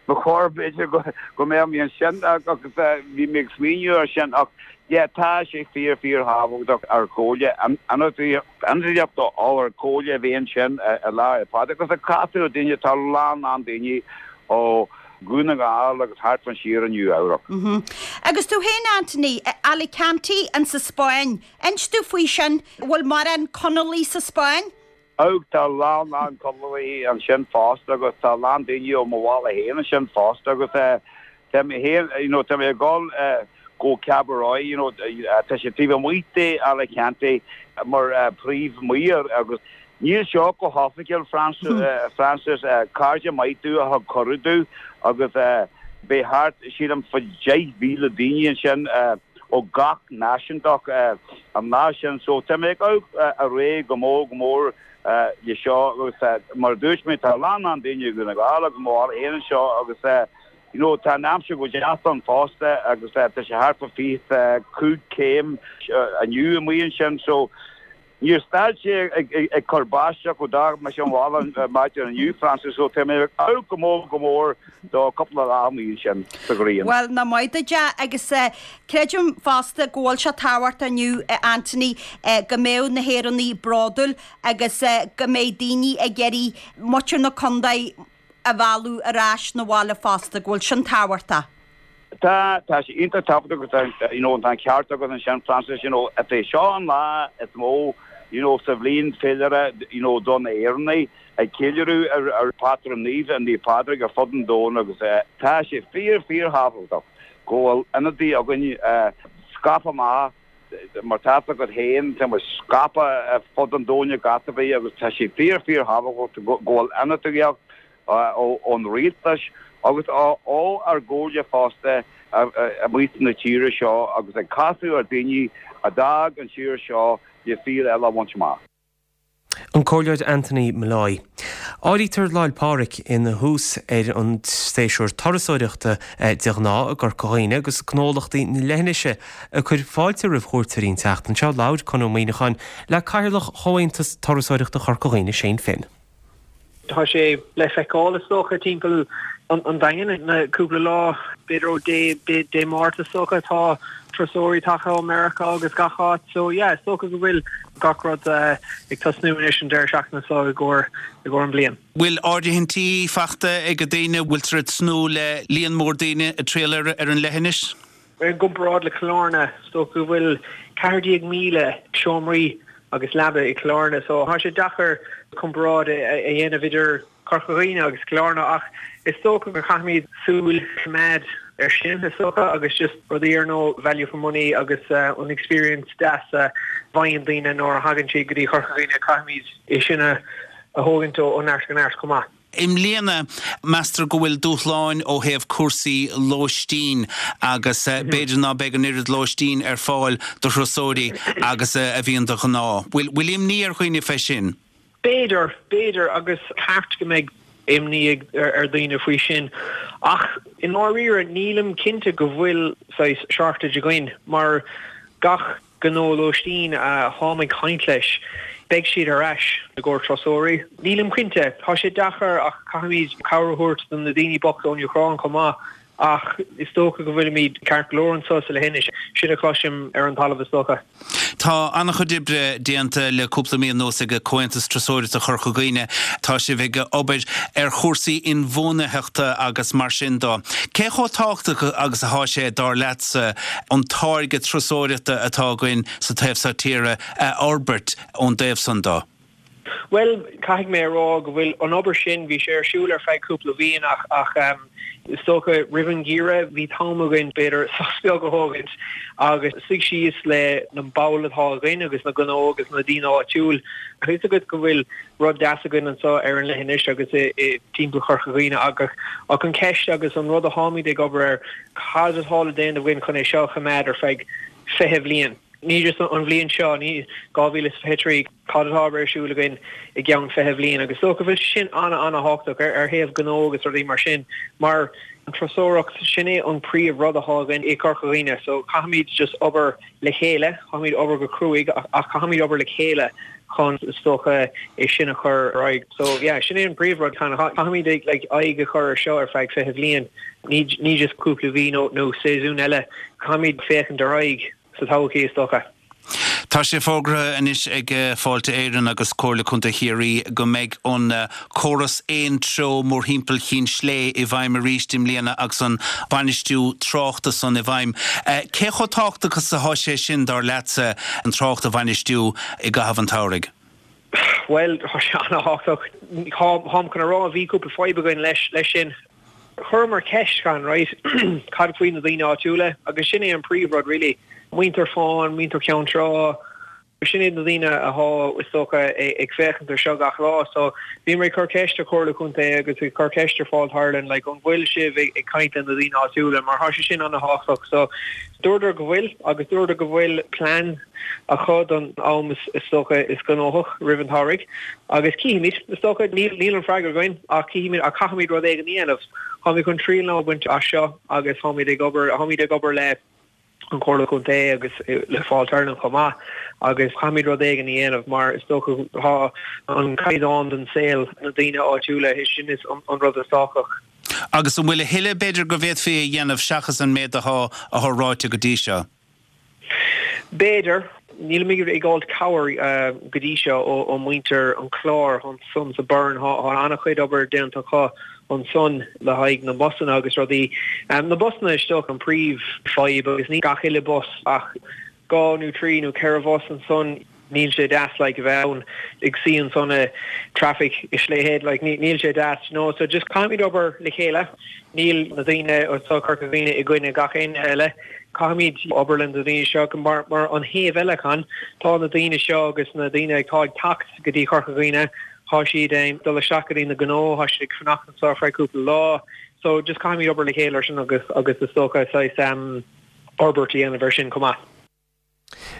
ba chóir b'fhéidir go, go mbeadh mé ansin agus eh, bhí mé ag smaoineamh ar sin ach, yeah, tá sé fíor, fíorthábhachtach ar Chomhairle, ionadaíocht ár Comhairle a bheith ansin i Lá 'le Pádraig agus ag casadh ar daoine, tá a lán, lán daoine ó Dhún na nGall agus thart fán tír i Nua Eabhrac. Agus tú féin Anthony, Alicante in sa Spáinn, inis domh faoi sin, bhfuil mórán Conallaigh sa Spáinn? Ó, tá a lán, lán Conallaigh ansin fosta agus tá a lán daoine ó mo bhaile féin ansin fosta agus tá mé féin, you know, tá mé ag dul go Cabarroja, you know, tá sé taobh amuigh de Alicante mar príomh-mhaor agus níl seo go hoifigiúil, Francis, cairde maith domh a thug cuireadh domh agus beidh thart, sílim, fá 10,000 daoine ansin ó gach náisiúntacht an lá sin so tá mé ag gabháil go mór go mór le seo agus mar a dúirt mé tá a lán lán daoine i Dhún na nGall agus mo bhaile féin anseo agus You know, tá an aimsir go deas ann fosta agus tá sé thart fá 25 céim inniu amuigh ansin so níor stad sé ag cur báisteach ó d'fhág mise an bhaile maidin inniu, Francis, so tá mé ag gabháil go mór go mór do cúpla lá amuigh ansin sa ghrian. Bhuel, nach maith duit é agus creidim fosta go bhfuil sé tábhachtach inniu, Anthony, go mbeadh na hÉireannaigh bródúil agus go mbeidh daoine ag iarraidh muintir na contae a mhealladh ar ais 'na bhaile fosta, go bhfuil sin tábhachtach. Tá, tá sé iontach tábhachtach agus tá, you know, tá an ceart agat ansin Francis, you know, is é seo an lá is mó, you know, sa bhliain féilire, you know, do na hÉireannaigh, ag ceiliúradh ar, ar patrún naomh, Naomh Pádraig ar fud an domhain agus tá sé fíor, fíor thábhachtach go bhfuil ionadaí againn scaipthe amach Mar tá fhios agat féin, tá muid scaipthe ar fud an domhain ag áit ar bith agus tá sé fíor fíor thábhachtach go bhfuil ionadaíocht ón rialtas agus ó ár gcomhairle fosta amuigh sna tíre seo agus ag casadh ar daoine a d'fhág an tír seo le saol eile a bhaint amach. An Comhairleoir Anthony Molloy. Áirítear Lá 'le Pádraig ina thús ar an séasúr turasóireachta de ghnáth i gCorca Dhuibhne agus gnólachtaí na leithinise ag cur fáilte roimh chuairteoirí an tseachtain seo. Labhair Conn Ó Muíneacháin le Cathaoirleach Chomhaontas Turasóireachta Chorca Dhuibhne, Shane Finn. Tá sé le feiceáil is dócha timpeall an Daingin na cúpla lá, b'fhéidir ó Dé Dé Máirt is dócha. Tá turasóirí tagtha ó Meiriceá agus gach áit so yeah is dócha go bhfuil gach rud ag tosnú anois an deireadh seachtaine seo i gcomhair i gcomhair an bliain. Bhfuil áirithintí faighte ag daoine? Bhfuiltear ag tnúth le líon mór daoine ag triall ar an leithinis? I gcomparáid le Cill Airne, is dócha go bhfuil 14,000 seomraí agus leaba i gCill Airne, so tá sé deacair comparáid a dhéanamh idir Corca Dhuibhne agus Cill Airne ach is dócha go chaithfimid súil a choimeád ar sin, is dócha, agus just rudaí ar nós value for money agus an experience deas a bhfaigheann daoine nuair a thagann siad go dtí Corca Dhuibhne, caithfimid é sin a thógaint ó neart go neart chomh maith. I mbliana, meastar go bhfuil dúshláin ó thaobh cúrsaí lóistín agus b'fhéidir ná beidh an oiread lóistín ar fáil do thurasóirí agus a bhíonn de ghnáth. Bhfuil imní ar dhaoine fé sin? B'fhéidir, b'fhéidir, agus ceart go mbeidh imní ar dhaoine faoi sin. Ach i ndáiríre, nílim cinnte go bhfuil saghas shortage againn mar gach gnó lóistín a tháim ag caint leis, beidh siad ar ais i gcomhair turasóirí. Nílim cinnte, tá sé deacair ach caithfimid cabhair a thabhairt do na daoine bochta ón Úcráin chomh maith ach is dócha go bhfuilimid ceart go leor anseo sa leithinis. Sin a chloisim ar an talamh is dócha. Tá an-chuid oibre déanta le cúpla mí anuas ag Comhaontas Turasóireachta Chorca Dhuibhne. Tá sibh ag obair ar chúrsaí inbhuanaitheachta agus mar sin de. Cé chomh tábhachtach agus atá sé, dar leatsa, an táirge turasóireachta atá againn sa taobh seo tíre a fhorbairt ón dtaobh san de? Bhuel, caithfidh mé a rá go bhfuil an obair sin, bhí sé ar siúl ar feadh cúpla bhliain ach ach. Is dócha roimh an gheimhreadh bhí t-am againn b'fhéidir sos beag a thógaint agus suigh síos le na baill atá againn agus na gnó agus na daoine áitiúil. Tá fhios agat go bhfuil rud deas againn anseo ar an leithinis agus i timpeall Chorca Dhuibhne agus ach an ceist agus an rud a tháimid ag obair air, cad atá le déanamh againn chun é seo a choimeád ar feadh 20 bhliain? Ní just an bhliain seo, ní 2023, cad atá ar siúl againn i gceann 20 bhliain agus is dócha go bhfuil sé sin an-an-thábhachtach ar thaobh gnó agus rudaí mar sin mar an turasóireacht, sin é an príomh rud atá againn i gCorca Dhuibhne so caithfimid just obair le chéile, caithfimid obair go cruaidh ach caithfimid obair le chéile chun is dócha é sin a chur ar aghaidh. So yeah, sin é an príomh rud, caithfimid like aghaidh a chur ar seo ar feadh 20 bhliain, ní just cúpla mhí nó nó séasún eile, caithfimid féachaint ar aghaidh sa todhchaí is dócha. Tá sé fógartha anois ag Fáilte Éireann agus Comhairle Contae Chiarraí go mbeidh an córas aon treo mórthimpeall Chinn Slé i bhfeidhm arís i mbliana agus an bainistiú tráchta san i bhfeidhm. Cé chomh tábhachtach is atá sé sin, dar leatsa, an trácht a bhainistiú i gcaitheamh an tsamhraidh? Bhuel, tá sé an-thábhachtach. Táim chun a rá, bhí cúpla fadhb againn leis sin. Chuireamar ceist, chan, right, cad faoi na daoine áitiúla? Agus sin é an príomhrud really. Muintir Fáin, muintir Cheann Trá, sin iad na daoine athá, is dócha, ag féachaint ar seo gach lá. So bhíomar ag cur ceist ar Chomhairle Contae agus ag cur ceist ar Fáilte Ireland, like, an bhfuil sibh ag caint le na daoine áitiúla mar thá sé sin an-thábhachtach. So dúradar go bhfuil agus dúradar go bhfuil plean acu don am is dócha is gnóthach roimh an tsamhraidh agus cífimid, is dócha, níl an freagra againn ach cífimid ach caithfimid rud éigin a dhéanamh. Táimid chun triail a bhaint as seo agus táimid ag obair, táimid ag obair le an Chomhairle Contae agus le Fáilte Ireland chomh maith agus caithfimid rud éigin a dhéanamh mar is dócha tá an caighdeán den saol na daoine áitiúla, sin is an rud is tábhachtach. Agus an bhfuil a thuilleadh b'fhéidir go bhféadfaí a dhéanamh seachas an méid atá atá ráite go dtí seo? B'fhéidir. Nílimid ag fháilt cabhair go dtí seo ó muintir an Chláir ansan sa Burren. Tá an-chuid obair déanta acu ansan le haghaidh na mbusanna agus rudaí. Na busanna is dócha an príomh fadhb agus ní gach uile bus ach 2 nó 3 nó 4 bhus ansan. Níl sé deas like a bheith ann ag suí ansan i traffic i Slea Head like níl sé deas you know so just caithfimid obair le chéile níl na daoine anseo Corca Dhuibhne i gcoinne gach éinne eile caithfimid obair le na daoine seo mar mar an thaobh eile chan tá na daoine seo agus na daoine atá ag teacht go dtí Corca Dhuibhne tá siad ag dul isteach go dtí na gnó tá siad ag fanacht anseo ar feadh cúpla lá so just caithfimid obair le chéile ar sin agus agus is dócha saghas um, forbairt a dhéanamh ar sin chomh maith.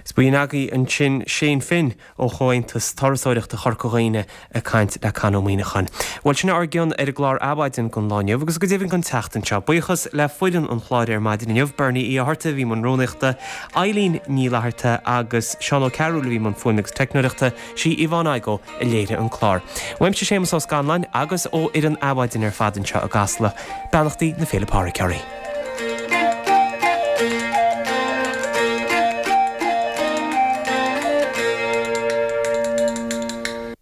Is b'in agaibh ansin Shane Finn ó Chomhaontas Turasóireachta Chorca Dhuibhne ag caint le Con Ó Muíneacháin. Bhuel, sin ár gcion ar an gclár Adhmhaidin don lá inniu agus go deimhin don tseachtain seo. Buíochas le foireann an chláir ar maidin inniu, Bernie Uí Fhátharta a bhí i mbun rúnaíochta, Eileen Ní Fhlatharta agus Seán Ó Cearúil a bhí i mbun fuaime agus teicneoireachta, sí Yvonne Igoe a léirigh an clár. Uaimse Séamus Ó Scanláin agus ó fhoireann Adhmhaidin ar fad anseo i gCasla, beannachtaí na Féile Pádraig oraibh.